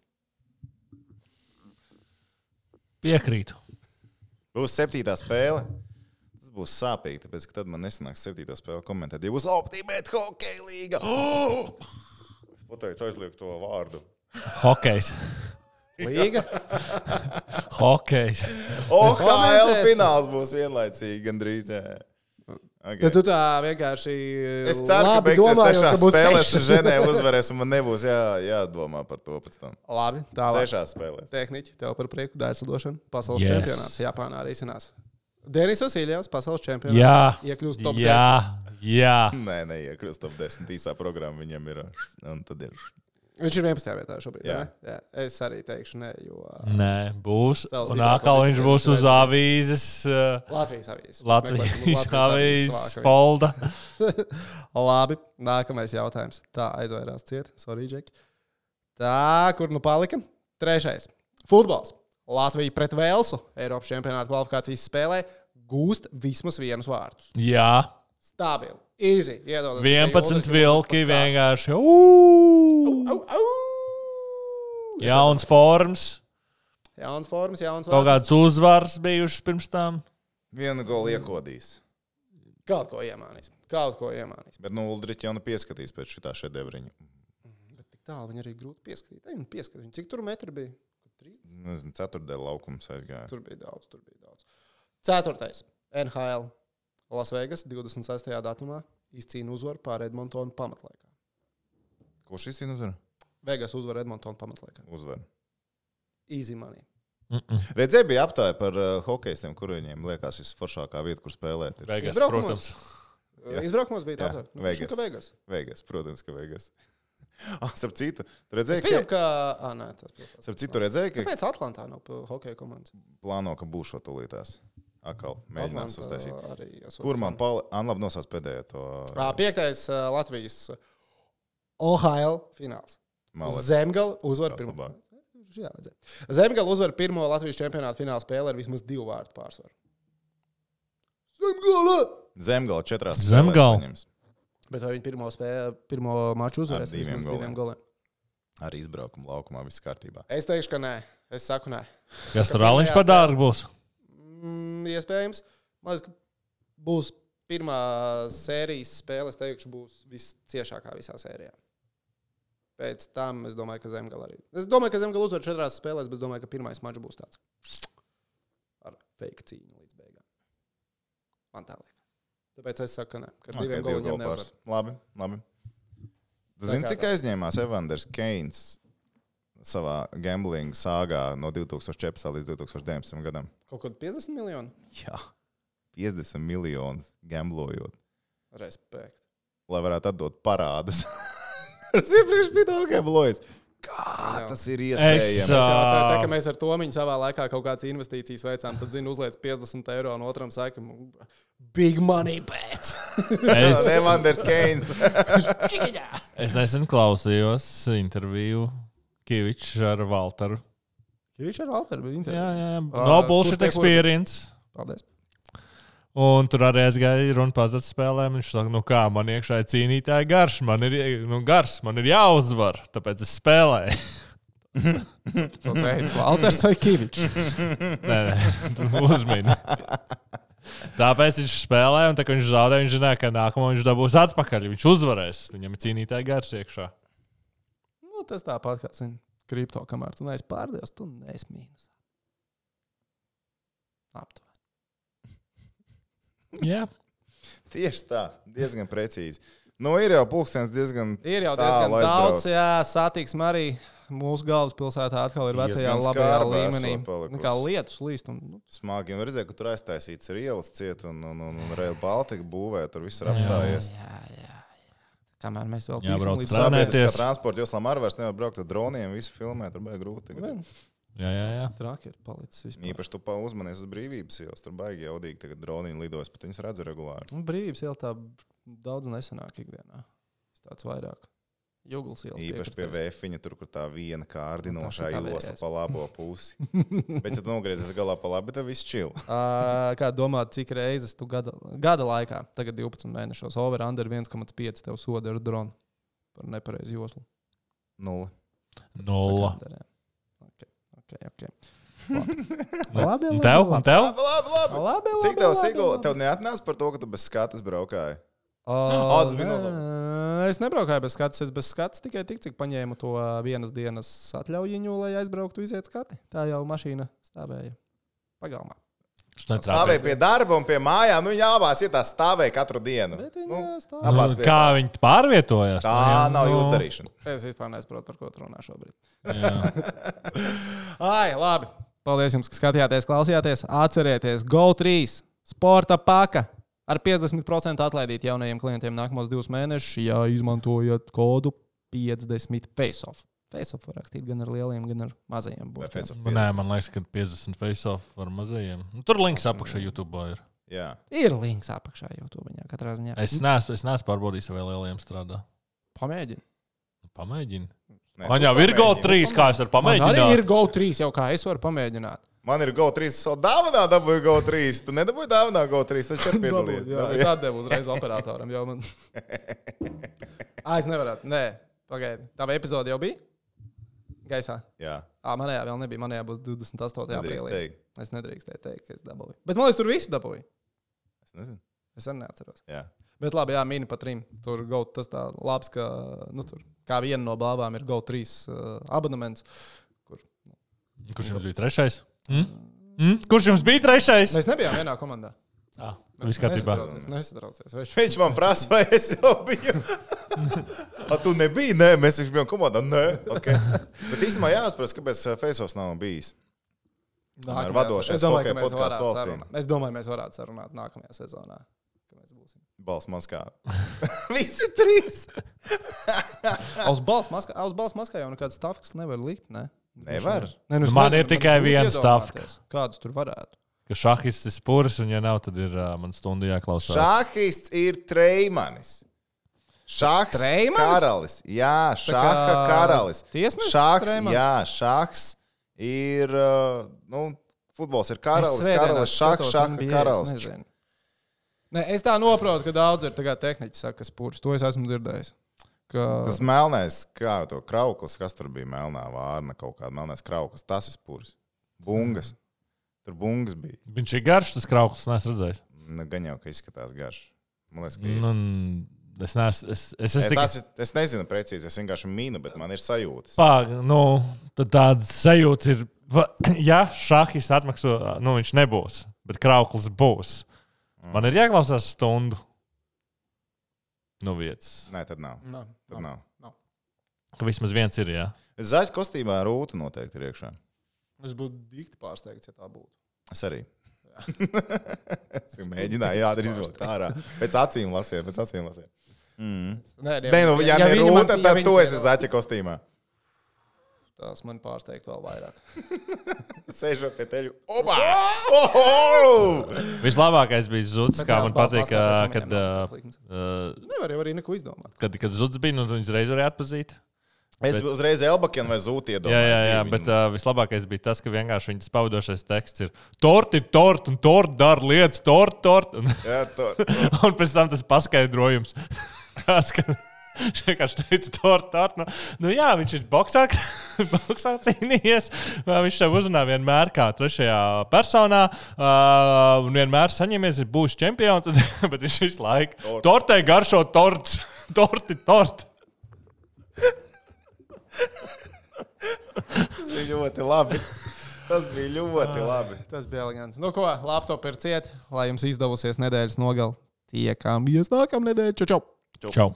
Piekrītu. Būs 7. spēle. Tas būs sāpīgi, tāpēc, ka tad man nesanāks 7. spēle komentēt. Ja būs Ultimate Hockey līga. Es pateicu aizliek to vārdu. Hokejs. Līga? Hokejs. OHL fināls būs vienlaicīgi gandrīz. Okay. Tad tu tā vienkārši es ceru, ka beigsies 6 spēlēs Ženēva uzvarēs, un man nebūs jādomā par to pēc tam. Labi, tālāk. 6 spēlēs. Tehniķi, tev par prieku dēļsadošanu. Pasaules čempionāts Japānā arī iznās. Denis Vasiljevs, pasaules čempionāts. Iekļūst top 10. Jā. Nē, neiekļūst top 10. Īsā programma viņam ir. Un tad ir. Viņš ir 11. vietā šobrīd. Jā. Es arī teikšu, nē, jo. Nē, būs. Un atkal viņš būs uz avīzes. Latvijas avīzes folda. Labi, nākamais jautājums. Tā aizvairās ciet. Sorry, Džeki. Tā, kur nu palika? Trešais. Futbols. Latvija pret Velsu Eiropas čempionāta kvalifikācijas spēlē gūst vismaz vienus vārtus. Jā. Stabili. Easy. Iedod. 11 vilki vienkārši. Jauns forms. Jauns formas. Kaut kāds uzvars bijušas pirms tam. Vienu golu iekodīs. Kaut ko iemānīs. Bet Uldriķi jau pieskatīs pēc šitā šedevriņa. Bet tik tālu viņi arī grūti pieskatīt. Viņi pieskatīt. Cik tur metri bija? 30? Nezinu, ceturtdēļ laukums aizgāja. Tur bija daudz. Ceturtais. NHL. Las Vegas 26. datumā izcīna uzvaru pār Edmontonu pamatlaikā. Kurš izcīna uzvaru? Vegas uzvar Edmontonu pamatlaikā. Uzvar. Easy money. Redzēju, bija aptāja par hokejistiem, kur viņiem liekas visforšākā vieta, kur spēlēt. Vegas, protams. Izbraukumos bija tā. Vegas, protams, ka Vegas. Starp citu, tu redzēji, es pieņemu, ka... Nē, tas starp citu, redzēji, ka... Kāpēc Atlantā nav hokeja komandas? Plāno, ka būs šo tūlītās. Akal, mēģinās uztaisīt. Kur man labi nosauc pēdējo to... 5. Latvijas OHL fināls. Zemgala uzvar pirmo. Zemgala uzvar pirmo Latvijas čempionāta fināla spēli ar vismaz 2 vārtu pārsvaru. Zemgala 4 spēlēs. Bet vai viņi pirmo maču uzvarēs ar vismaz 2 goliem? Arī izbraukuma laukumā viss kārtībā. Es teikšu, ka nē. Es saku nē. Kas tur Aliņš par dārgu būs? Iespējams. Man liekas, ka būs pirmā sērijas spēle, es teikšu, būs visciešākā visā sērijā. Pēc tam es domāju, ka Zemgala arī. Es domāju, ka Zemgala uzvar 4 spēlēs, bet es domāju, ka pirmais mačs būs tāds ar fake cīņu līdz beigām. Man tā liekas. Tāpēc es saku, ka nē. Ka ar 2 goliem neuzvar. Labi. Zini, cik aizņēmās Evanders Keins savā gambling sāgā no 2014. līdz 2019. gadam? Kaut kādu 50 miljonu? Jā, 50 miljonus gamblojot. Respekt. Lai varētu atdot parādus. Es iepriekš biju tā gamblojis. Kā tas ir iespējams? Tā, ka mēs ar Tomiņu savā laikā kaut kādas investīcijas veicām, tad, uzliec 50 eiro un otram saka, big money bets. Evanders Keins. Es nesen klausījos interviju Kivičs ar Valteru. Kivičs ar Valteru bija intervija? Jā. No bullshit experience. Paldies. Un tur arī aizgāja runa pazats spēlēm. Viņš saka, kā, man iekšā ir cīnītāji garš. Man ir jāuzvar, tāpēc es spēlēju. To teica Valters vai Kivičs? Nē, uzmini. Tāpēc viņš spēlēja, un tā, kad viņš zaudēja, viņš zināja, ka nākamo viņš dabūs atpakaļ. Viņš uzvarēs. Viņam ir cīnītāji garš iekšā. Tas tāpat kā kripto, kamēr tu neesi pārdevis, tu neesi mīnus. Aptuveni. Jā. Tieši tā, diezgan precīzi. Ir jau pulkstenis diezgan daudz, jā, satiksme arī mūsu galvaspilsētā atkal ir vecajā labajā līmenī. Kā lietus līst. Smagi, un redzēju, ka tur aiztaisīts ir ielas ciet, un Rail Baltica būvē, tur viss ir apstājies. Jā. Kamēr mēs vēl jābrauc līdz sabiedriskā transporta joslām arī vairs nevar braukt ar droniem, visu filmēt, tur baigi grūti. Jā. Traki ir palicis vispār. Īpaši tu uzmanies uz Brīvības ielas, tur baigi jaudīgi tagad droniņi lidojas, bet viņas redzu regulāri. Brīvības iela tā daudz nesenāk ikdienā. Tāds vairāk. Juglas iela. Īpaši pie Vēfiņa, tur, kur tā viena kārdinošā josla pa labo pusi. Bet, ja tu nogriezies galā pa labi, tad viss čil. Kā domāt, cik reizes tu gada laikā, tagad 12 mēnešos, over under 1,5 tev soda ar dronu par nepareizu joslu? 0. Ok. Labi. Tev? Labi. Cik tev sigula? Tev neatnāca par to, ka tu bez skatas braukāji? Tas bija es nebraukāju bez skatas. Es bez skatas tikai tik, cik paņēmu to vienas dienas atļaujiņu, lai aizbrauktu iziet skati. Tā jau mašīna stāvēja pagalmā. Stāvēja pie darba un pie mājām. Jābās, ja tā stāvēja katru dienu. Kā viņi pārvietojās? Tā nav jūsu darīšana. Es vispār nesaprotu, par ko tu runā šobrīd. Labi. Paldies jums, ka skatījāties, klausījāties. Atcerieties, GO3 sporta paka. Ar 50% atlaidīt jaunajiem klientiem nākamos 2 mēnešus, ja izmantojat kodu 50 face-off. Face-off var rakstīt gan ar lieliem, gan ar mazajiem. Nē, man liekas, ka 50 face-off ar mazajiem. Tur links apakšā YouTube ir. Jā. Ir links apakšā YouTube, katrā ziņā. Es neesmu pārbaudījis, vai lieliem strādā. Pamēģini. Man jau ir GO3, kā es varu pamēģināt. Man arī ir GO3, jau kā es varu pamēģināt. Man ir GO3, es vēl dāvanā dabūju GO3. Tu nedabūji dāvanā GO3, taču arī piedalījies. Jā, es atdevu uzreiz operatoram, jau man. Es nevarētu. Nē, pagaidi. Tava epizode jau bija? Gaisā? Jā. Manējā vēl nebija. Manējā būs 28. aprīlī. Teikt. Es nedrīkstēju teikt, ka es dabūju. Bet man liekas, tur visi dabūja. Es nezinu. Es arī neatceros. Jā. Bet labi, jā, mini pa 3. Tur GO, tas tā labs, ka, tur kā viena no blāvām ir GO3 abonements. Kurš jums bija 3? Kurš jums bija 3? Mēs nebijām vienā komandā. Viss kārtībā. Nesatraucies. Viņš man prasa, vai es jau biju. Tu nebija? Nē, mēs viņš bijām komandā. Nē, okay. Bet īstenībā jāuzprast, kāpēc Faceoffs nav bijis. Ar vadošais hokeja podcastu valstīm. Es domāju, mēs varētu sarunāt nākamajā sezonā. Balss maskā. Visi 3. Uz balss maskā jau nekāds stafks nevar likt, ne? Nevar. Ne, nu, man ir tikai viens stafks. Kādus tur varētu? Ka šahists ir spurs, un ja nav, tad ir man stundu jāklausās. Šahists ir Treimanis. Šahs karalis. Jā, šaha karalis. Šahs, jā, šahs ir, futbols ir karalis, šaha karalis. Ne, es tā noprotu, ka daudz ir tehniķi saka spurs. To es esmu dzirdējis. Tas melnais, kā to krauklis, kas tur bija melnā vārna, kaut kāda melnais krauklis, tas ir spurs. Bungas. Tur bungas bija. Viņš ir garš, tas krauklis, neesmu redzējis. Gan jau, ka izskatās garš. Man liekas, ka es nezinu precīzi, es vienkārši mīnu, bet man ir sajūtas. Tad tāds sajūts ir, ja šahis atmakso, viņš nebūs, bet krauklis būs. Man ir jāklausās stundu. Vietas. Nē, tad nav. Tad nav. Ka vismaz viens ir, jā. Zaļa kostībā rūta noteikti ir iekšā. Es būtu dikti pārsteigts, ja tā būtu. Es arī. Es mēģināju izvilkt ārā. Pēc acīm lasiet. Nē, ja ne rūta, tad tu esi zaļa kostīmā. Tas man pārsteigtu vēl vairāk. Sēžot pie teļu. Oba! Vislabākais bija Zuds, kā man patīk, kad... Nevar jau arī neko izdomāt. Kad Zuds bija, viņas reiz varēja atpazīt. Es uzreiz Elbakienu vai Zūti iedomājos. Jā, bet vislabākais bija tas, ka vienkārši viņas spaudošais teksts ir tort ir tort, un tort dara lietas, tort. Jā, tort. Un pēc tam tas paskaidrojums. Tāds, ka... Viņš vienkārši teica, tort. Jā, viņš ir boksā cīnījies. Viņš tev uzrunā vienmēr kā trešajā personā. Un vienmēr saņemies, ir būs čempions. Bet viņš visu laiku. Tortē garšo torts. Tort. Tas bija ļoti labi. Tas bija elegants. Ko, laptop ir ciet, lai jums izdevusies nedēļas nogali. Tiekamies nākamnedēļ. Čau! Čau!